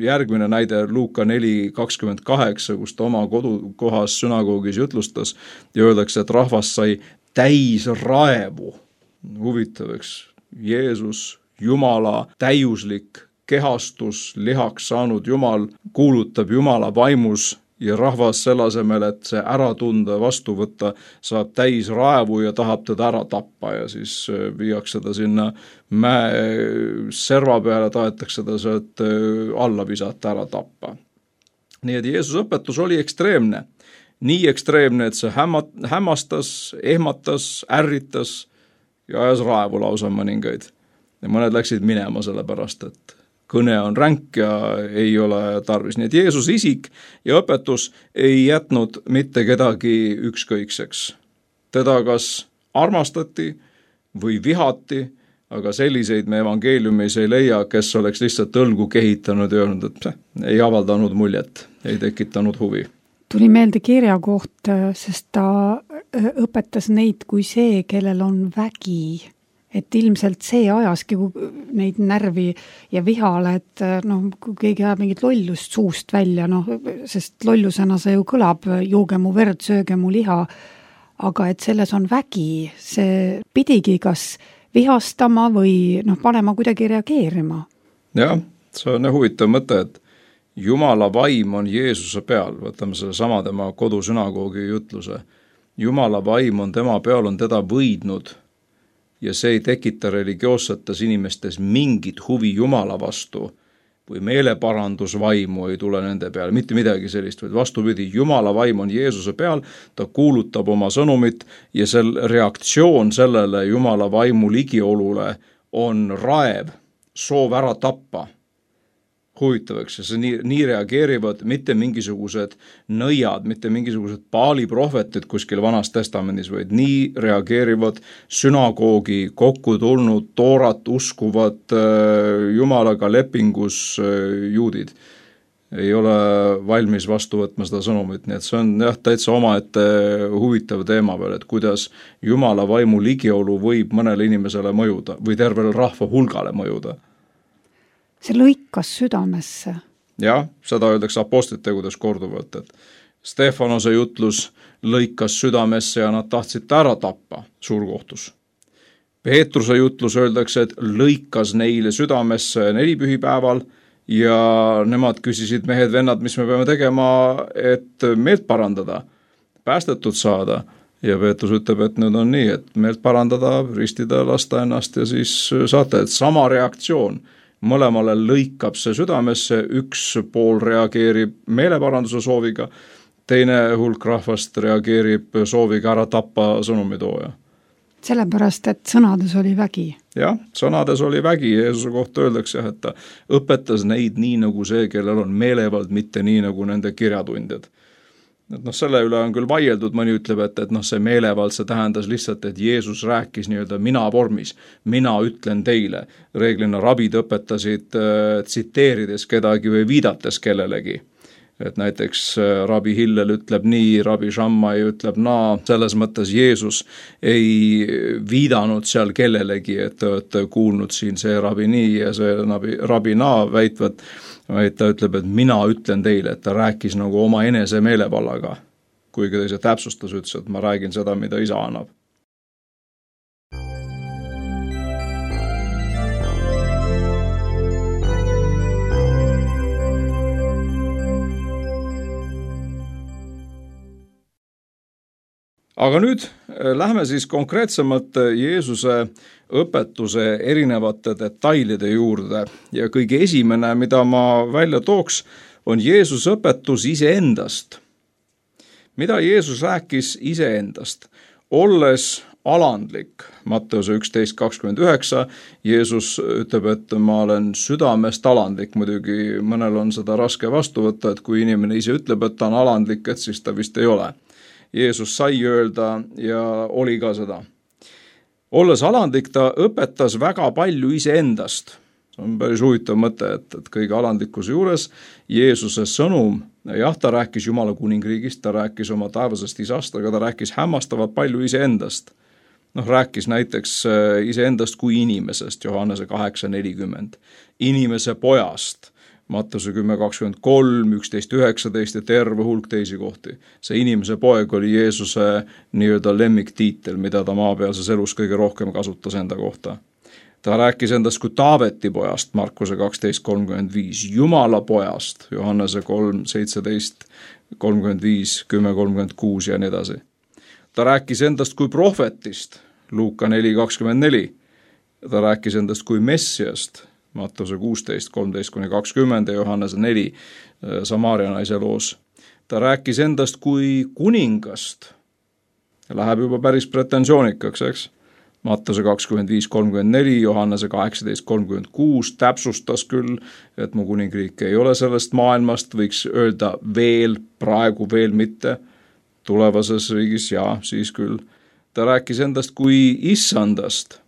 C: järgmine näide Luuka neli kakskümmend kaheksa, kus ta oma kodukohas sünagoogis jutlustas ja öeldakse, et rahvas sai täis raevu. Huvitav, eks, Jeesus, Jumala täiuslik kehastus, lihaks saanud Jumal, kuulutab Jumala vaimus ja rahvas selle asemel, et see ära tunda, vastu võtta, saab täis raevu ja tahab teda ära tappa ja siis viiakse ta sinna mäe serva peale, tahetakse ta sealt alla visata, ära tappa. Nii et Jeesus õpetus oli ekstreemne. Nii ekstreemne, et see hämmastas, ehmatas, ärritas ja ajas raevu lausa mõningaid. Ja mõned läksid minema selle pärast, et kõne on ränk ja ei ole tarvis. Nii et Jeesus isik ja õpetus ei jätnud mitte kedagi ükskõikseks. Teda kas armastati või vihati, aga selliseid me evangeeliumis ei leia, kes oleks lihtsalt õlgu kehitanud ja öelnud, et peh, ei avaldanud muljet, ei tekitanud huvi.
B: Tuli meelde kirja koht, sest ta õpetas neid kui see, kellel on vägi. Et ilmselt see ajaski neid närvi ja vihale, et noh, kui keegi ajab mingit lollust suust välja, noh, sest lollusena see ju kõlab, jooge mu verd, sööge mu liha, aga et selles on vägi, see pidigi kas vihastama või noh, panema kuidagi reageerima.
C: Jah, see on huvitav mõte, et Jumala vaim on Jeesuse peal, võtame selle sama tema kodusünagoogi jutluse. Jumala vaim on tema peal, on teda võidnud ja see ei tekita religioossetes inimestes mingit huvi Jumala vastu või meeleparandusvaimu ei tule nende peale, mitte midagi sellist, vaid vastupidi, Jumala vaim on Jeesuse peal, ta kuulutab oma sõnumit ja sel reaktsioon sellele Jumala vaimu ligiolule on raev, soov ära tappa. Huvitavaks, see nii, nii reageerivad mitte mingisugused nõiad, mitte mingisugused Baali prohvetid kuskil Vanas testamendis, vaid nii reageerivad sünagoogi kokku tulnud toorat uskuvad äh, Jumalaga lepingus äh, juudid. Ei ole valmis vastu võtma seda sõnumit, nii et see on jah, täitsa omaette huvitav teema veel, et kuidas Jumala vaimu ligiolu võib mõnele inimesele mõjuda või tervele rahva hulgale mõjuda.
B: See lõikas südamesse.
C: Jah, seda öeldakse apostlitegudes korduvalt, et Stefanose jutlus lõikas südamesse ja nad tahtsid ära tappa suurkohtus. Peetruse jutlus öeldakse, et lõikas neile südamesse nelipühipäeval ja nemad küsisid mehed, vennad, mis me peame tegema, et meelt parandada, päästetud saada. Ja Peetrus ütleb, et nüüd on nii, et meelt parandada, ristida, lasta ennast ja siis saate, et sama reaktsioon. Mõlemale lõikab see südamesse, üks pool reageerib meeleparanduse sooviga, teine hulk rahvast reageerib sooviga ära tappa sõnumitooja.
B: Sellepärast, et sõnades oli vägi.
C: Jah, sõnades oli vägi. Jeesuse kohta öeldakse, et ta õpetas neid nii nagu see, kellel on meelevald, mitte nii nagu nende kirjatundjad. Et noh, selle üle on küll vaieldud, mõni ütleb, et, et noh, see meelevald, see tähendas lihtsalt, et Jeesus rääkis nii-öelda mina vormis, mina ütlen teile. Reeglina rabid õpetasid äh, tsiteerides kedagi või viidates kellelegi. Et näiteks äh, rabi Hillel ütleb nii, rabi Shammai ütleb naa, selles mõttes Jeesus ei viidanud seal kellelegi, et te olete kuulnud siin see rabi nii ja see rabi, rabi naa väitvad, vaid ta ütleb, et mina ütlen teile, et ta rääkis nagu oma enese meelevallaga, kuigi ta ise täpsustas ütles, et ma räägin seda, mida isa annab. aga nüüd lähme siis konkreetsemalt Jeesuse õpetuse erinevate detailide juurde ja kõige esimene, mida ma välja tooks, on Jeesuse õpetus iseendast. Mida Jeesus rääkis iseendast? Olles alandlik, Matteuse üksteist kakskümmend üheksa, Jeesus ütleb, et ma olen südamest alandlik, muidugi mõnel on seda raske vastu võtta, et kui inimene ise ütleb, et ta on alandlik, et siis ta vist ei ole. Jeesus sai öelda ja oli ka seda. Olles alandlik, ta õpetas väga palju iseendast. See on päris huvitav mõte, et, et kõige alandlikkuse juures Jeesuse sõnum, jah, ta rääkis Jumala kuningriigist, ta rääkis oma taevasest isast, aga ta rääkis hämmastavalt palju iseendast. Noh, rääkis näiteks iseendast kui inimesest, Johannese kaheksa nelikümmend, inimese pojast, Matteuse kümme kakskümmend kolm, üksteist üheksateist ja terve hulk teisi kohti. See inimese poeg oli Jeesuse nii-öelda lemmiktiitel, mida ta maapealses elus kõige rohkem kasutas enda kohta. Ta rääkis endast kui Taaveti pojast, Markuse kaksteist kolmkümmend viis, Jumala pojast, Johannese kolm seitseteist kolmkümmend viis, kümme kolmkümmend kuus ja nii edasi. Ta rääkis endast kui prohvetist, Luuka neli kakskümmend neli. Ta rääkis endast kui Messiast, Mattuse kuusteist kolmteist kuni kakskümmend ja Johannese neli Samaaria naise loos. Ta rääkis endast kui kuningast. Läheb juba päris pretensioonikaks, eks? Mattuse kakskümmend viis kolmkümmend neli, Johannese kaheksateist kolmkümmend kuus täpsustas küll, et mu kuningriik ei ole sellest maailmast, võiks öelda veel, praegu veel mitte, tulevases riigis ja siis küll. Ta rääkis endast kui issandast,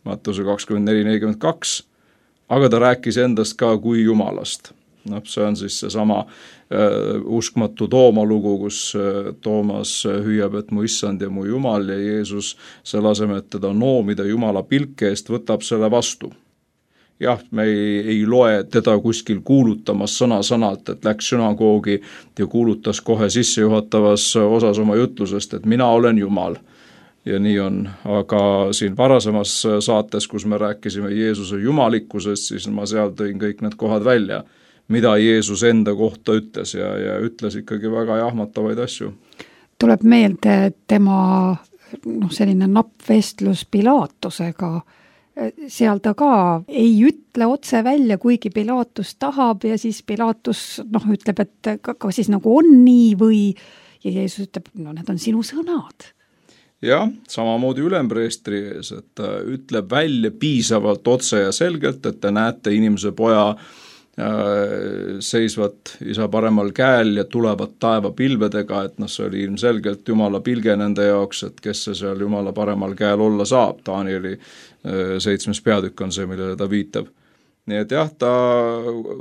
C: Mattuse kakskümmend neli nelikümmend kaks, aga ta rääkis endast ka kui Jumalast. No, see on siis seesama äh, uskmatu Tooma lugu, kus äh, Toomas hüüab, et mu issand ja mu Jumal ja Jeesus selle asemel, et teda noomida Jumala pilke eest, võtab selle vastu. Jah, me ei, ei loe teda kuskil kuulutamas sõna-sõnalt, et läks sünagoogi ja kuulutas kohe sissejuhatavas osas oma jutlusest, et mina olen Jumal. Ja nii on, aga siin varasemas saates, kus me rääkisime Jeesuse jumalikkusest, siis ma seal tõin kõik need kohad välja, mida Jeesus enda kohta ütles ja, ja ütles ikkagi väga jahmatavaid asju.
B: Tuleb meelde tema noh, selline nappvestlus Pilaatusega. Seal ta ka ei ütle otse välja, kuigi Pilaatus tahab ja siis Pilaatus noh, ütleb, et ka, ka siis nagu on nii või ja Jeesus ütleb, no need on sinu sõnad.
C: Jah, samamoodi ülempreestri ees, et ta ütleb välja piisavalt otse ja selgelt, et te näete inimese poja äh, seisvat isa paremal käel ja tulevad taeva pilvedega, et noh, see oli ilmselgelt Jumala pilge nende jaoks, et kes see seal Jumala paremal käel olla saab. Danieli äh, seitsmes peatükk on see, millele ta viitab. Nii et jah, ta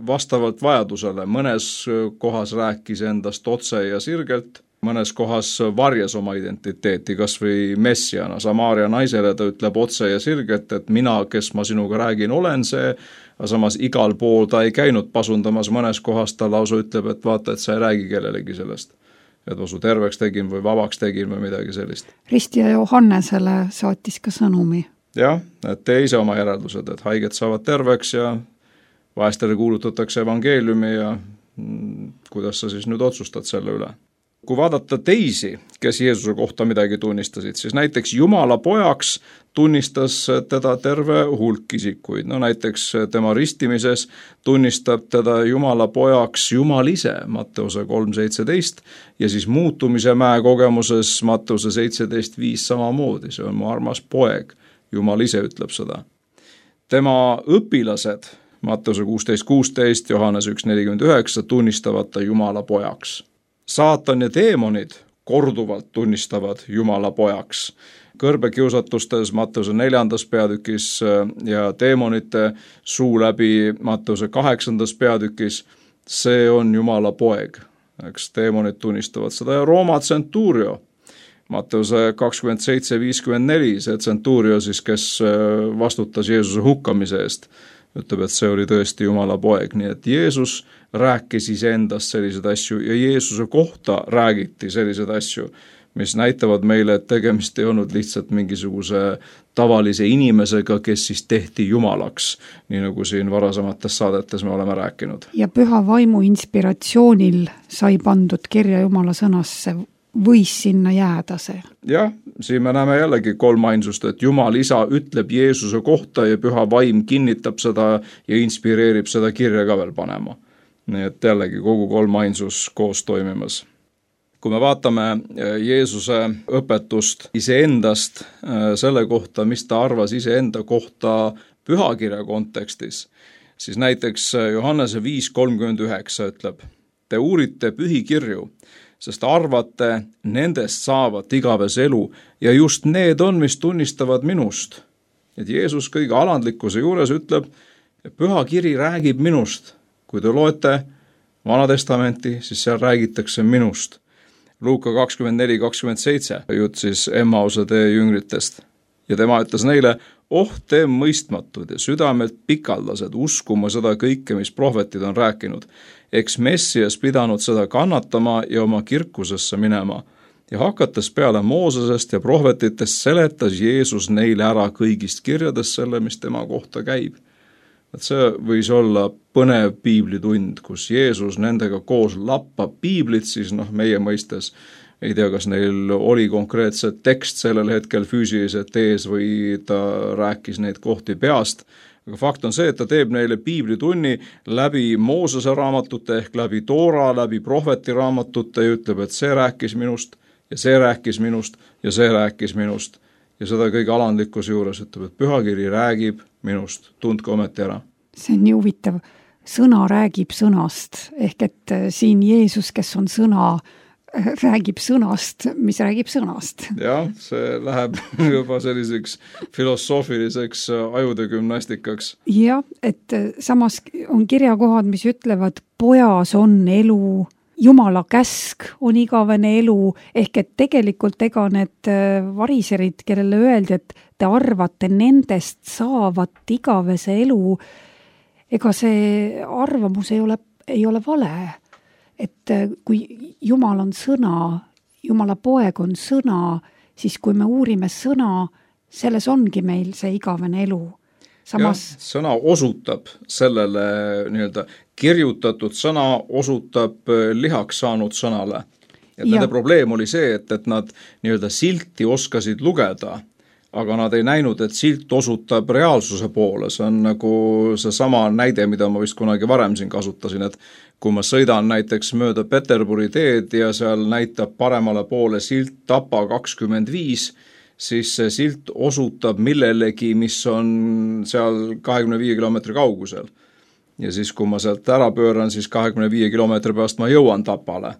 C: vastavalt vajadusele mõnes kohas rääkis endast otse ja sirgelt, mõnes kohas varjas oma identiteeti, kas või messiana. Samaaria naisele ta ütleb otse ja sirgelt, et mina, kes ma sinuga räägin, olen see, aga samas igal pool ta ei käinud pasundamas, mõnes kohas ta lausa ütleb, et vaata, et sa ei räägi kellelegi sellest. Et ma su terveks tegin või vabaks tegin või midagi sellist.
B: Ristija Johannesele saatis ka sõnumi.
C: Jah, et tee ise oma järeldused, et haiged saavad terveks ja vaestele kuulutatakse evangeeliumi ja kuidas sa siis nüüd otsustad selle üle. Kui vaadata teisi, kes Jeesuse kohta midagi tunnistasid, siis näiteks Jumala pojaks tunnistas teda terve hulk isikuid. No näiteks tema ristimises tunnistab teda Jumala pojaks Jumal ise, Matteuse kolm seitseteist, ja siis muutumise mäe kogemuses Matteuse seitseteist viis samamoodi, see on mu armas poeg, Jumal ise ütleb seda. Tema õpilased, Matteuse kuusteist kuusteist, Johannes üks nelikümmend üheksa, tunnistavad ta Jumala pojaks. Saatan ja teemonid korduvalt tunnistavad Jumala pojaks. Kõrbekiusatustes Matteuse neljandas peatükis ja teemonite suu läbi Matteuse kaheksandas peatükis, see on Jumala poeg. Eks teemonid tunnistavad seda ja Rooma tsentuurio. Matteuse kakskümmend seitse viiskümmend neli, see tsentuurio siis, kes vastutas Jeesuse hukkamise eest, ütleb, et see oli tõesti Jumala poeg, nii et Jeesus rääkis iseendast sellised asju ja Jeesuse kohta räägiti sellised asju, mis näitavad meile, et tegemist ei olnud lihtsalt mingisuguse tavalise inimesega, kes siis tehti Jumalaks, nii nagu siin varasemates saadetes me oleme rääkinud.
B: Ja püha vaimu inspiratsioonil sai pandud kirja Jumala sõnasse võis sinna jääda see.
C: Jah, siin me näeme jällegi kolmainsust, et Jumal isa ütleb Jeesuse kohta ja püha vaim kinnitab seda ja inspireerib seda kirja ka veel panema. Nii et jällegi kogu kolmainsus koos toimimas. Kui me vaatame Jeesuse õpetust iseendast selle kohta, mis ta arvas iseenda kohta pühakirja kontekstis, siis näiteks Johannese viis kolmkümmend üheksa ütleb: te uurite pühikirju, sest arvate, nendest saavat igavese elu ja just need on, mis tunnistavad minust. Et Jeesus kõige alandlikkuse juures ütleb, et pühakiri räägib minust. Kui te loete Vana Testamenti, siis seal räägitakse minust. Luuka kakskümmend neli kakskümmend seitse, jutt siis Emmause tee jüngritest. Ja tema ütles neile: oh, te mõistmatud ja südamed pikaldased uskuma seda kõike, mis prohvetid on rääkinud. Eks Messias pidanud seda kannatama ja oma kirkusesse minema. Ja hakates peale Moosesest ja prohvetitest seletas Jeesus neile ära kõigist kirjadest selle, mis tema kohta käib. Et see võis olla põnev piiblitund, kus Jeesus nendega koos lappab piiblit, siis noh, meie mõistes ei tea, kas neil oli konkreetset tekst sellel hetkel füüsiliselt ees või ta rääkis neid kohti peast. Aga fakt on see, et ta teeb neile piiblitunni läbi Moosese raamatute ehk läbi Toora, läbi prohveti raamatute ja ütleb, et see rääkis minust ja see rääkis minust ja see rääkis minust. Ja seda kõige alandlikkuse juures ütleb, et pühakiri räägib minust, tundke ometi ära.
B: See on nii huvitav. Sõna räägib sõnast, ehk et siin Jeesus, kes on sõna, räägib sõnast, mis räägib sõnast.
C: Jah, see läheb juba selliseks filosoofiliseks ajude gümnastikaks.
B: Jah, et samas on kirjakohad, mis ütlevad, pojas on elu, Jumala käsk on igavene elu, ehk et tegelikult ega need variserid, kellele öeldi, et te arvate nendest saavat igavese elu, ega see arvamus ei ole, ei ole vale. Et kui Jumal on sõna, Jumala poeg on sõna, siis kui me uurime sõna, selles ongi meil see igavene elu. Samas...
C: Ja, sõna osutab sellele nii-öelda kirjutatud sõna osutab lihaks saanud sõnale. Ja nende probleem oli see, et, et nad nii-öelda silti oskasid lugeda, aga nad ei näinud, et silt osutab reaalsuse poole. See on nagu see sama näide, mida ma vist kunagi varem siin kasutasin, et kui ma sõidan näiteks mööda Peterburi teed ja seal näitab paremale poole silt Tapa kakskümmend viis, siis see silt osutab millelegi, mis on seal kahekümne viie kilomeetri kaugusel. Ja siis, kui ma sealt ära pööran, siis kahekümne viie kilomeetri pärast ma jõuan Tapale.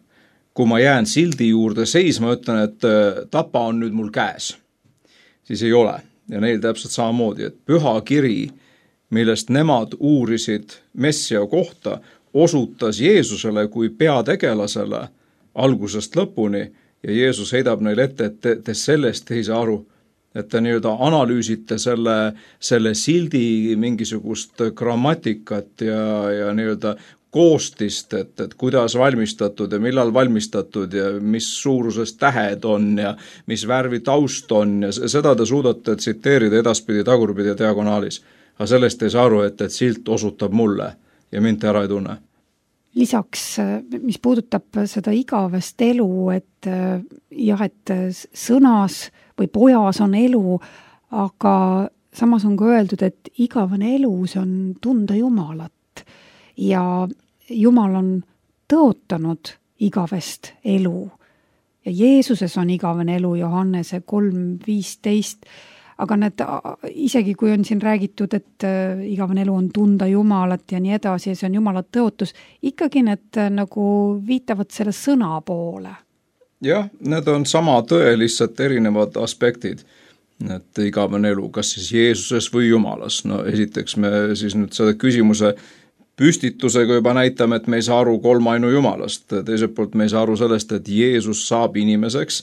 C: Kui ma jään sildi juurde seisma, ütlen, et Tapa on nüüd mul käes, siis ei ole. Ja neil täpselt samamoodi, et püha kiri, millest nemad uurisid Messia kohta, osutas Jeesusele kui peategelasele algusest lõpuni ja Jeesus heidab neile ette, et te, te sellest ei saa aru, et te nii-öelda analüüsite selle, selle sildi mingisugust grammatikat ja, ja nii-öelda koostist, et, et kuidas valmistatud ja millal valmistatud ja mis suuruses tähed on ja mis värvi taust on ja seda te suudate tsiteerida edaspidi, tagurpidi ja diagonaalis. Aga sellest ei saa aru, et, et silt osutab mulle ja mind ära ei tunne.
B: Lisaks, mis puudutab seda igavest elu, et jah, et sõnas või pojas on elu, aga samas on ka öeldud, et igavene elu, see on tunda Jumalat ja Jumal on tõotanud igavest elu ja Jeesuses on igavene elu, Johannese kolm viisteist, aga need, isegi kui on siin räägitud, et igavene elu on tunda Jumalat ja nii edasi ja see on Jumala tõotus, ikkagi need nagu viitavad selle sõna poole.
C: Jah, need on sama tõe, lihtsalt erinevad aspektid, et igavene elu, kas siis Jeesuses või Jumalas. No esiteks me siis nüüd seda küsimuse püstitusega juba näitame, et me ei saa aru kolmainu Jumalast. Teiselt poolt me ei saa aru sellest, et Jeesus saab inimeseks,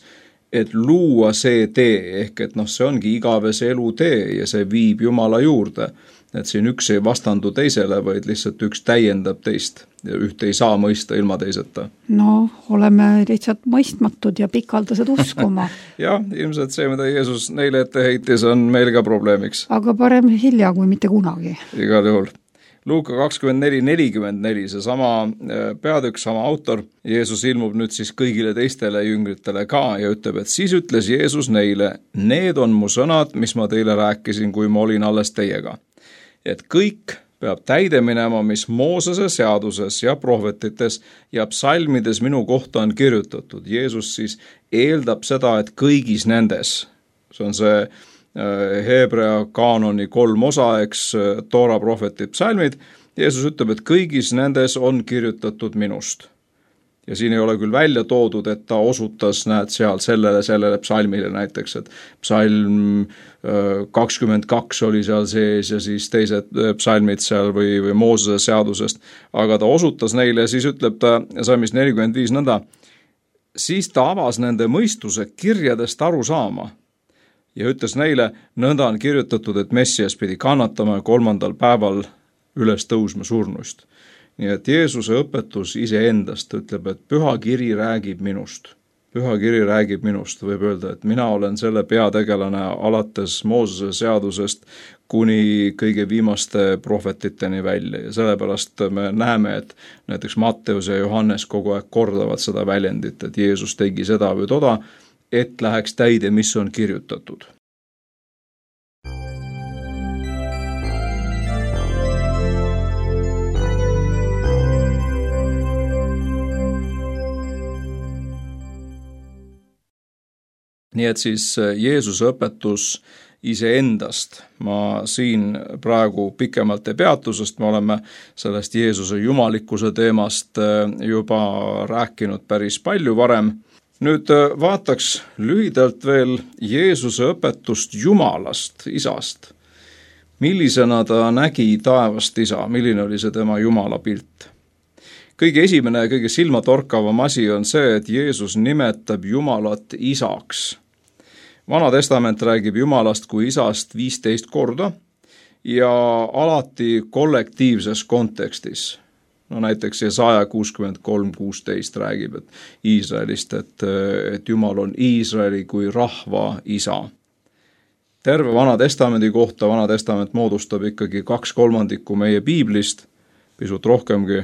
C: et luua see tee, ehk et noh, see ongi igavese elu tee ja see viib Jumala juurde. Et siin üks ei vastandu teisele, vaid lihtsalt üks täiendab teist ja ühte ei saa mõista ilma teiseta.
B: No, oleme lihtsalt mõistmatud ja pikaldased uskuma.
C: Jah, ilmselt see, mida Jeesus neile ette heitis, on meil ka probleemiks.
B: Aga parem hilja kui mitte kunagi.
C: Igal juhul. Luuka kakskümmend neli nelikümmend neli, see sama peatükk, sama autor, Jeesus ilmub nüüd siis kõigile teistele jüngritele ka ja ütleb, et siis ütles Jeesus neile, need on mu sõnad, mis ma teile rääkisin, kui ma olin alles teiega. Et kõik peab täide minema, mis Moosese seaduses ja prohvetites ja psalmides minu kohta on kirjutatud. Jeesus siis eeldab seda, et kõigis nendes, see on see Heebrea kaanoni kolm osa, eks, Toora, prohvetid, psalmid, Jeesus ütleb, et kõigis nendes on kirjutatud minust. Ja siin ei ole küll välja toodud, et ta osutas, näed, seal sellele, sellele psalmile näiteks, et psalm kakskümmend kaks oli seal sees ja siis teised psalmid seal või, või Moosese seadusest, aga ta osutas neile ja siis ütleb ta salmis nelikümmend viis nõnda, siis ta avas nende mõistuse kirjadest aru saama ja ütles neile, nõnda on kirjutatud, et Messias pidi kannatama ja kolmandal päeval üles tõusma surnuist. Nii et Jeesuse õpetus iseendast ütleb, et püha kiri räägib minust. Püha kiri räägib minust, võib öelda, et mina olen selle peategelane alates Moosese seadusest kuni kõige viimaste prohvetiteni välja ja sellepärast me näeme, et näiteks Matteus ja Johannes kogu aeg kordavad seda väljendit, et Jeesus tegi seda või toda, et läheks täide, mis on kirjutatud. Nii et siis Jeesuse õpetus iseendast ma siin praegu pikemalt ei peatu, sest me oleme sellest Jeesuse jumalikkuse teemast juba rääkinud päris palju varem. Nüüd vaataks lühidalt veel Jeesuse õpetust Jumalast, Isast. Millisena ta nägi taevast Isa, milline oli see tema Jumala pilt? Kõige esimene ja kõige silmatorkavam asi on see, et Jeesus nimetab Jumalat Isaks. Vana testament räägib Jumalast kui Isast viisteist korda ja alati kollektiivses kontekstis. No näiteks Jesaja kuuskümmend kolm kuusteist räägib, et Iisraelist, et, et Jumal on Iisraeli kui rahva isa. Terve Vana testamendi kohta Vana testament moodustab ikkagi kaks kolmandikku meie piiblist, pisut rohkemgi.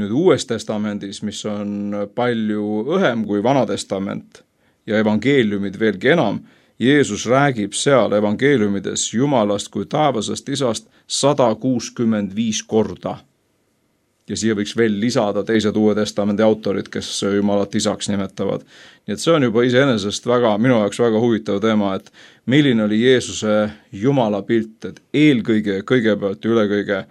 C: Nüüd Uues testamendis, mis on palju õhem kui Vana testament ja evangeeliumid veelgi enam, Jeesus räägib seal evangeeliumides Jumalast kui taevasest Isast sada kuuskümmend viis korda. Ja siia võiks veel lisada teised Uue testamendi autorid, kes Jumalat Isaks nimetavad. Nii et see on juba iseenesest väga, minu jaoks väga huvitav teema, et milline oli Jeesuse Jumala pilt, et eelkõige, kõigepealt üle kõige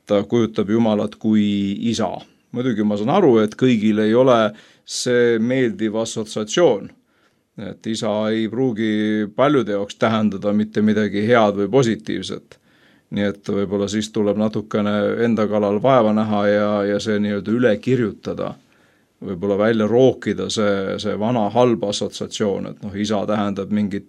C: ta kujutab Jumalat kui Isa. Muidugi ma saan aru, et kõigil ei ole see meeldiv assotsiatsioon, et Isa ei pruugi paljude jaoks tähendada mitte midagi head või positiivset. Nii et võib-olla siis tuleb natukene enda kallal vaeva näha ja, ja see nii-öelda üle kirjutada, võib-olla välja rookida see, see vana halb assotsiatsioon, et noh, isa tähendab mingit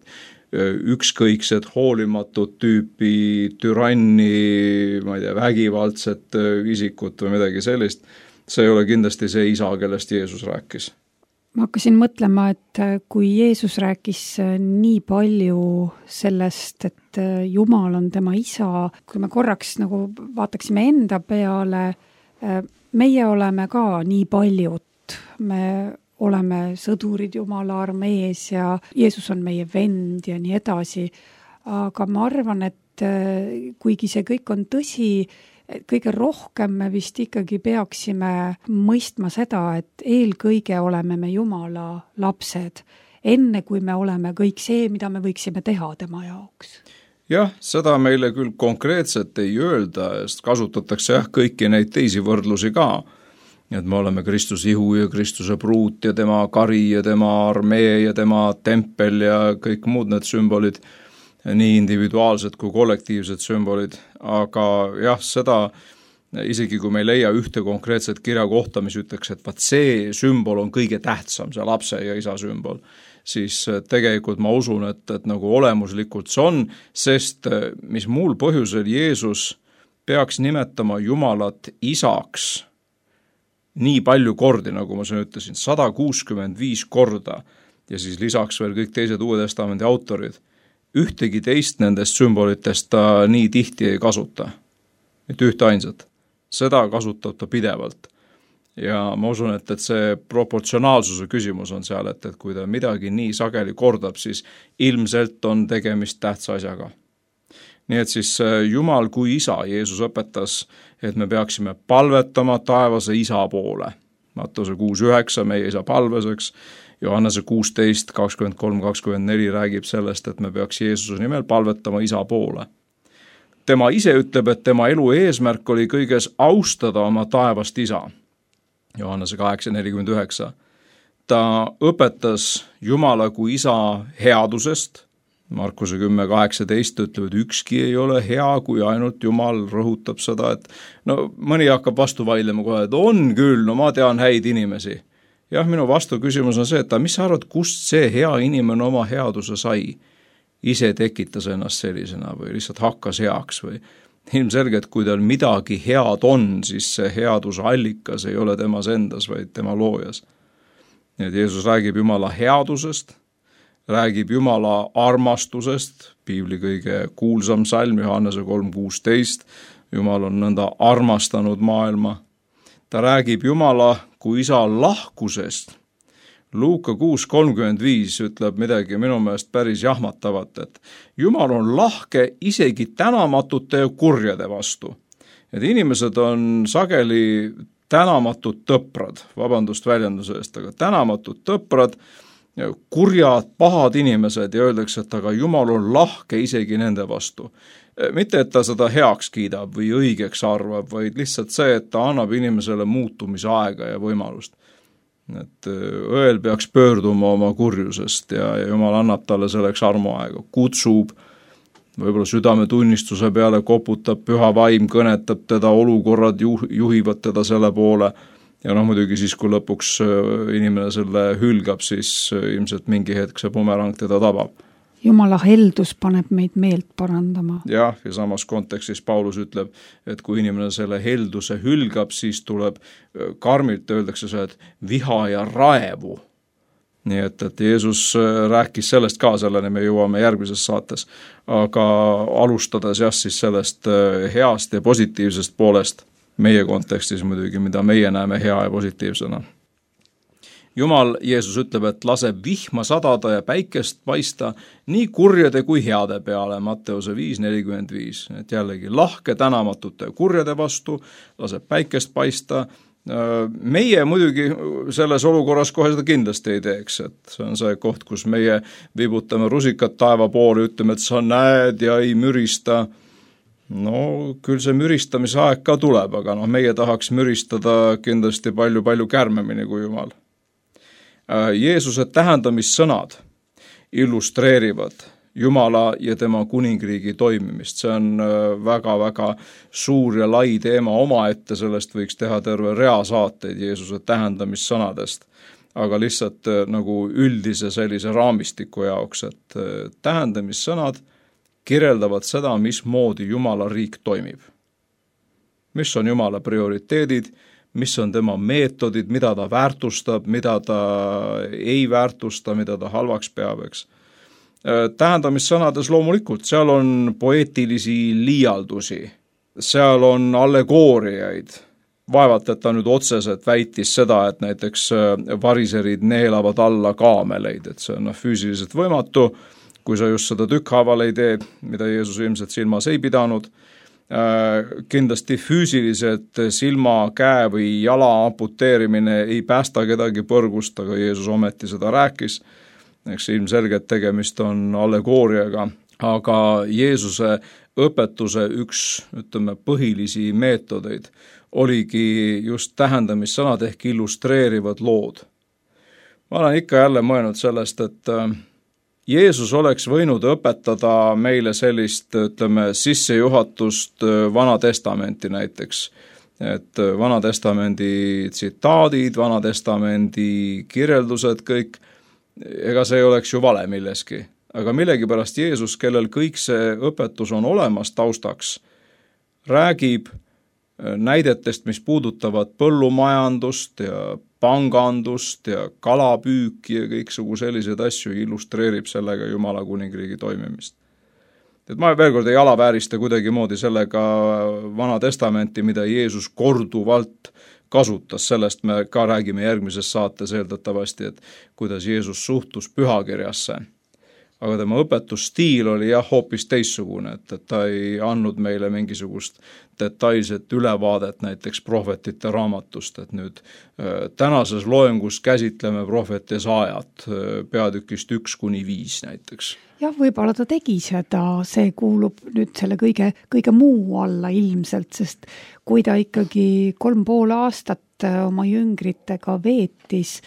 C: ükskõikset hoolimatut tüüpi türanni, ma ei tea, vägivaldset isikut või midagi sellist. See ei ole kindlasti see isa, kellest Jeesus rääkis.
B: Ma hakkasin mõtlema, et kui Jeesus rääkis nii palju sellest, et Jumal on tema isa, kui me korraks nagu vaataksime enda peale, meie oleme ka nii paljud, me oleme sõdurid Jumala armees ja Jeesus on meie vend ja nii edasi, aga ma arvan, et kuigi see kõik on tõsi, kõige rohkem me vist ikkagi peaksime mõistma seda, et eelkõige oleme me Jumala lapsed, enne kui me oleme kõik see, mida me võiksime teha tema jaoks.
C: Jah, seda meile küll konkreetselt ei öelda, sest kasutatakse jah, kõiki neid teisi võrdlusi ka. Et me oleme Kristuse ihu ja Kristuse pruut ja tema kari ja tema armee ja tema tempel ja kõik muud need sümbolid, nii individuaalsed kui kollektiivsed sümbolid, aga jah, seda isegi kui me ei leia ühte konkreetset kirja kohta, mis ütleks, et vaat see sümbol on kõige tähtsam, see lapse ja isa sümbol, siis tegelikult ma usun, et, et nagu olemuslikult see on, sest mis muul põhjusel Jeesus peaks nimetama Jumalat isaks nii palju kordi, nagu ma siin ütlesin, sada kuuskümmend viis korda ja siis lisaks veel kõik teised Uue testamendi autorid, ühtegi teist nendest sümbolitest ta nii tihti ei kasuta. mitte ühte ainsat. Seda kasutab ta pidevalt. Ja ma usun, et, et see proportsionaalsuse küsimus on seal, et, et kui ta midagi nii sageli kordab, siis ilmselt on tegemist tähtsa asjaga. Nii et siis Jumal kui isa, Jeesus õpetas, et me peaksime palvetama taevase isa poole. Matteuse kuus üheksa, meie isa palveseks, Johannese kuusteist kakskümmend kolm kakskümmend neli räägib sellest, et me peaks Jeesuse nimel palvetama isa poole. Tema ise ütleb, et tema elu eesmärk oli kõiges austada oma taevast isa. Johannese kaheksa nelikümmend üheksa. Ta õpetas Jumala kui isa headusest. Markuse kümme kaheksateist ütleb, et ükski ei ole hea, kui ainult Jumal rõhutab seda, et no mõni hakkab vastu vaidlema kohe, et on küll, no ma tean häid inimesi. Jah, minu vastu küsimus on see, et mis sa arvad, kust see hea inimene oma headuse sai? Ise tekitas ennast sellisena või lihtsalt hakkas heaks või ilmselgelt, kui tal midagi head on, siis see headuse allikas ei ole temas endas, vaid tema loojas. Nii et Jeesus räägib Jumala headusest, räägib Jumala armastusest, piibli kõige kuulsam salm, Johannese kolm kuusteist, Jumal on nõnda armastanud maailma. Ta räägib Jumala kui isa lahkusest. Luuka kuus kolmkümmend viis ütleb midagi minu meelest päris jahmatavat, et Jumal on lahke isegi tänamatute ja kurjade vastu. Et inimesed on sageli tänamatud tõprad, vabandust väljenduse eest, aga tänamatud tõprad, kurjad, pahad inimesed ja öeldakse, et aga Jumal on lahke isegi nende vastu. Mitte, et ta seda heaks kiidab või õigeks arvab, vaid lihtsalt see, et ta annab inimesele muutumise aega ja võimalust. Et õel peaks pöörduma oma kurjusest ja, ja Jumal annab talle selleks armuaega, kutsub, võib-olla südame tunnistuse peale koputab, püha vaim kõnetab teda, olukorrad juh, juhivad teda selle poole ja noh, muidugi siis, kui lõpuks inimene selle hülgab, siis ilmselt mingi hetk see bumerang teda tabab.
B: Jumala heldus paneb meid meelt parandama.
C: Jah, ja samas kontekstis Paulus ütleb, et kui inimene selle helduse hülgab, siis tuleb karmilt, öeldakse see, et viha ja raevu. Nii et, et Jeesus rääkis sellest ka, selleni me jõuame järgmises saates, aga alustades jah, siis sellest heast ja positiivsest poolest meie kontekstis muidugi, mida meie näeme hea ja positiivsena. Jumal, Jeesus ütleb, et laseb vihma sadada ja päikest paista nii kurjade kui heade peale, Matteuse viis nelikümmend viis. Et jällegi lahke tänamatute kurjade vastu, laseb päikest paista. Meie muidugi selles olukorras kohe seda kindlasti ei teeks, et see on see koht, kus meie vibutame rusikat taeva poole, ütleme, et sa näed ja ei mürista. No küll see müristamise aeg ka tuleb, aga no meie tahaks müristada kindlasti palju-palju kärmemini kui Jumal. Jeesuse tähendamissõnad illustreerivad Jumala ja tema kuningriigi toimimist. See on väga-väga suur ja lai teema omaette, sellest võiks teha terve rea saateid Jeesuse tähendamissõnadest, aga lihtsalt nagu üldise sellise raamistiku jaoks, et tähendamissõnad kirjeldavad seda, mismoodi Jumala riik toimib. Mis on Jumala prioriteedid, mis on tema meetodid, mida ta väärtustab, mida ta ei väärtusta, mida ta halvaks peab, eks. Tähendamissõnades loomulikult, seal on poeetilisi liialdusi, seal on allegooriaid. Vaevalt, et ta nüüd otseselt väitis seda, et näiteks variserid neelavad alla kaameleid, et see on füüsiliselt võimatu, kui sa just seda tükkhaaval ei tee, mida Jeesus ilmselt silmas ei pidanud. Kindlasti füüsiliselt silma, käe või jala amputeerimine ei päästa kedagi põrgust, aga Jeesus ometi seda rääkis. Eks ilmselgelt tegemist on allegooriaga, aga Jeesuse õpetuse üks, ütleme, põhilisi meetodeid oligi just tähendamissõnad ehk illustreerivad lood. Ma olen ikka jälle mõelnud sellest, et Jeesus oleks võinud õpetada meile sellist, ütleme, sissejuhatust Vana Testamenti näiteks, et Vana Testamendi tsitaadid, Vana Testamendi kirjeldused, kõik, ega see ei oleks ju vale milleski, aga millegipärast Jeesus, kellel kõik see õpetus on olemas taustaks, räägib näidetest, mis puudutavad põllumajandust ja pangandust ja kalapüüki ja kõiksugu selliseid asju illustreerib sellega Jumala kuningriigi toimimist. et ma veel kord ei alaväärista kuidagi moodi sellega Vana Testamenti, mida Jeesus korduvalt kasutas, sellest me ka räägime järgmises saates eeldatavasti, et kuidas Jeesus suhtus pühakirjasse. Aga tema õpetusstiil oli jah hoopis teissugune, et, et ta ei andnud meile mingisugust detailset ülevaadet näiteks prohvetite raamatust, et nüüd äh, tänases loengus käsitleme prohvet Jesaajat äh, peatükist üks kuni viis näiteks.
B: Jah, võib-olla ta tegi seda, see kuulub nüüd selle kõige, kõige muu alla ilmselt, sest kui ta ikkagi kolm pool aastat oma jüngritega veetis,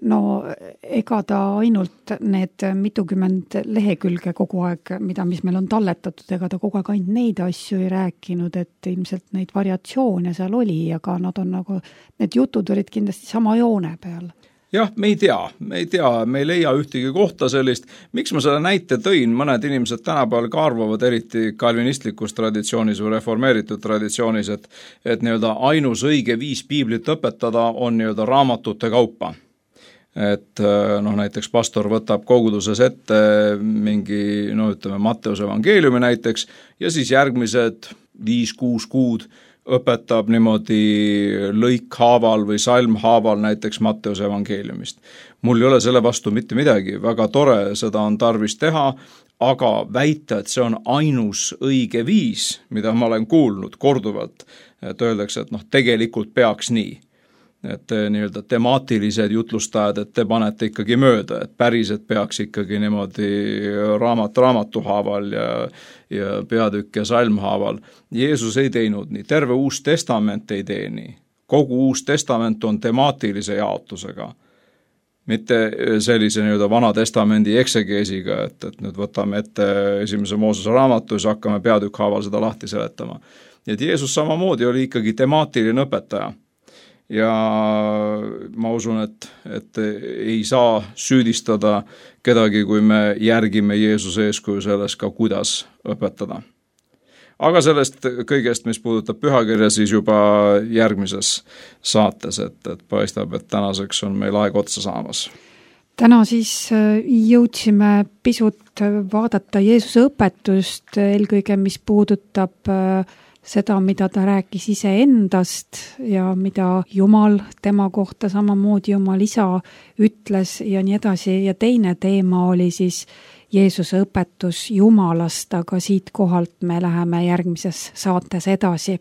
B: no ega ta ainult need mitukümmend lehekülge kogu aeg, mida, mis meil on talletatud, ega ta kogu aeg ainult neid asju ei rääkinud, et ilmselt neid variatsioone seal oli, aga nad on nagu, need jutud olid kindlasti sama joone peal.
C: Jah, me ei tea, me ei tea, me ei leia ühtegi kohta sellist. Miks ma selle näite tõin? Mõned inimesed tänapäeval ka arvavad, eriti kalvinistlikus traditsioonis või reformeeritud traditsioonis, et, et nii-öelda ainus õige viis piiblit õpetada on nii-öelda raamatute kaupa. Et noh, näiteks pastor võtab koguduses ette mingi, no ütleme, Matteuse evangeeliumi näiteks ja siis järgmised viis-kuus kuud õpetab niimoodi lõikhaaval või salmhaaval näiteks Matteuse evangeeliumist. Mul ei ole selle vastu mitte midagi, väga tore, seda on tarvis teha, aga väita, et see on ainus õige viis, mida ma olen kuulnud korduvalt, et öeldakse, et noh, tegelikult peaks nii. Et nii-öelda temaatilised jutlustajad, et te panete ikkagi mööda, et päriselt peaks ikkagi niimoodi raamat raamatuhaaval ja, ja peatükk ja salmhaaval. Jeesus ei teinud nii, terve Uus Testament ei tee nii. Kogu Uus Testament on temaatilise jaotusega, mitte sellise nii-öelda Vana Testamendi eksegeesiga, et, et nüüd võtame ette esimese Moosese raamatu ja siis hakkame peatükk haaval seda lahti seletama. Et Jeesus samamoodi oli ikkagi temaatiline õpetaja. Ja ma usun, et, et ei saa süüdistada kedagi, kui me järgime Jeesuse eeskuju selles ka, kuidas õpetada. Aga sellest kõigest, mis puudutab pühakirja, siis juba järgmises saates, et, et paistab, et tänaseks on meil aeg otsa saamas.
B: Täna siis jõudsime pisut vaadata Jeesuse õpetust, eelkõige mis puudutab seda, mida ta rääkis iseendast ja mida Jumal tema kohta samamoodi Jumal isa ütles ja nii edasi. Ja teine teema oli siis Jeesuse õpetus Jumalast, aga siit kohalt me läheme järgmises saates edasi.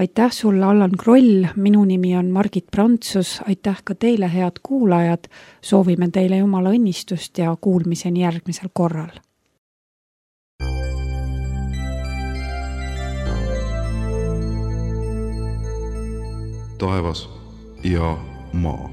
B: Aitäh sulle, Allan Kroll, minu nimi on Margit Prantsus, aitäh ka teile, head kuulajad, soovime teile Jumala õnnistust ja kuulmiseni järgmisel korral.
A: Taevas ja maa.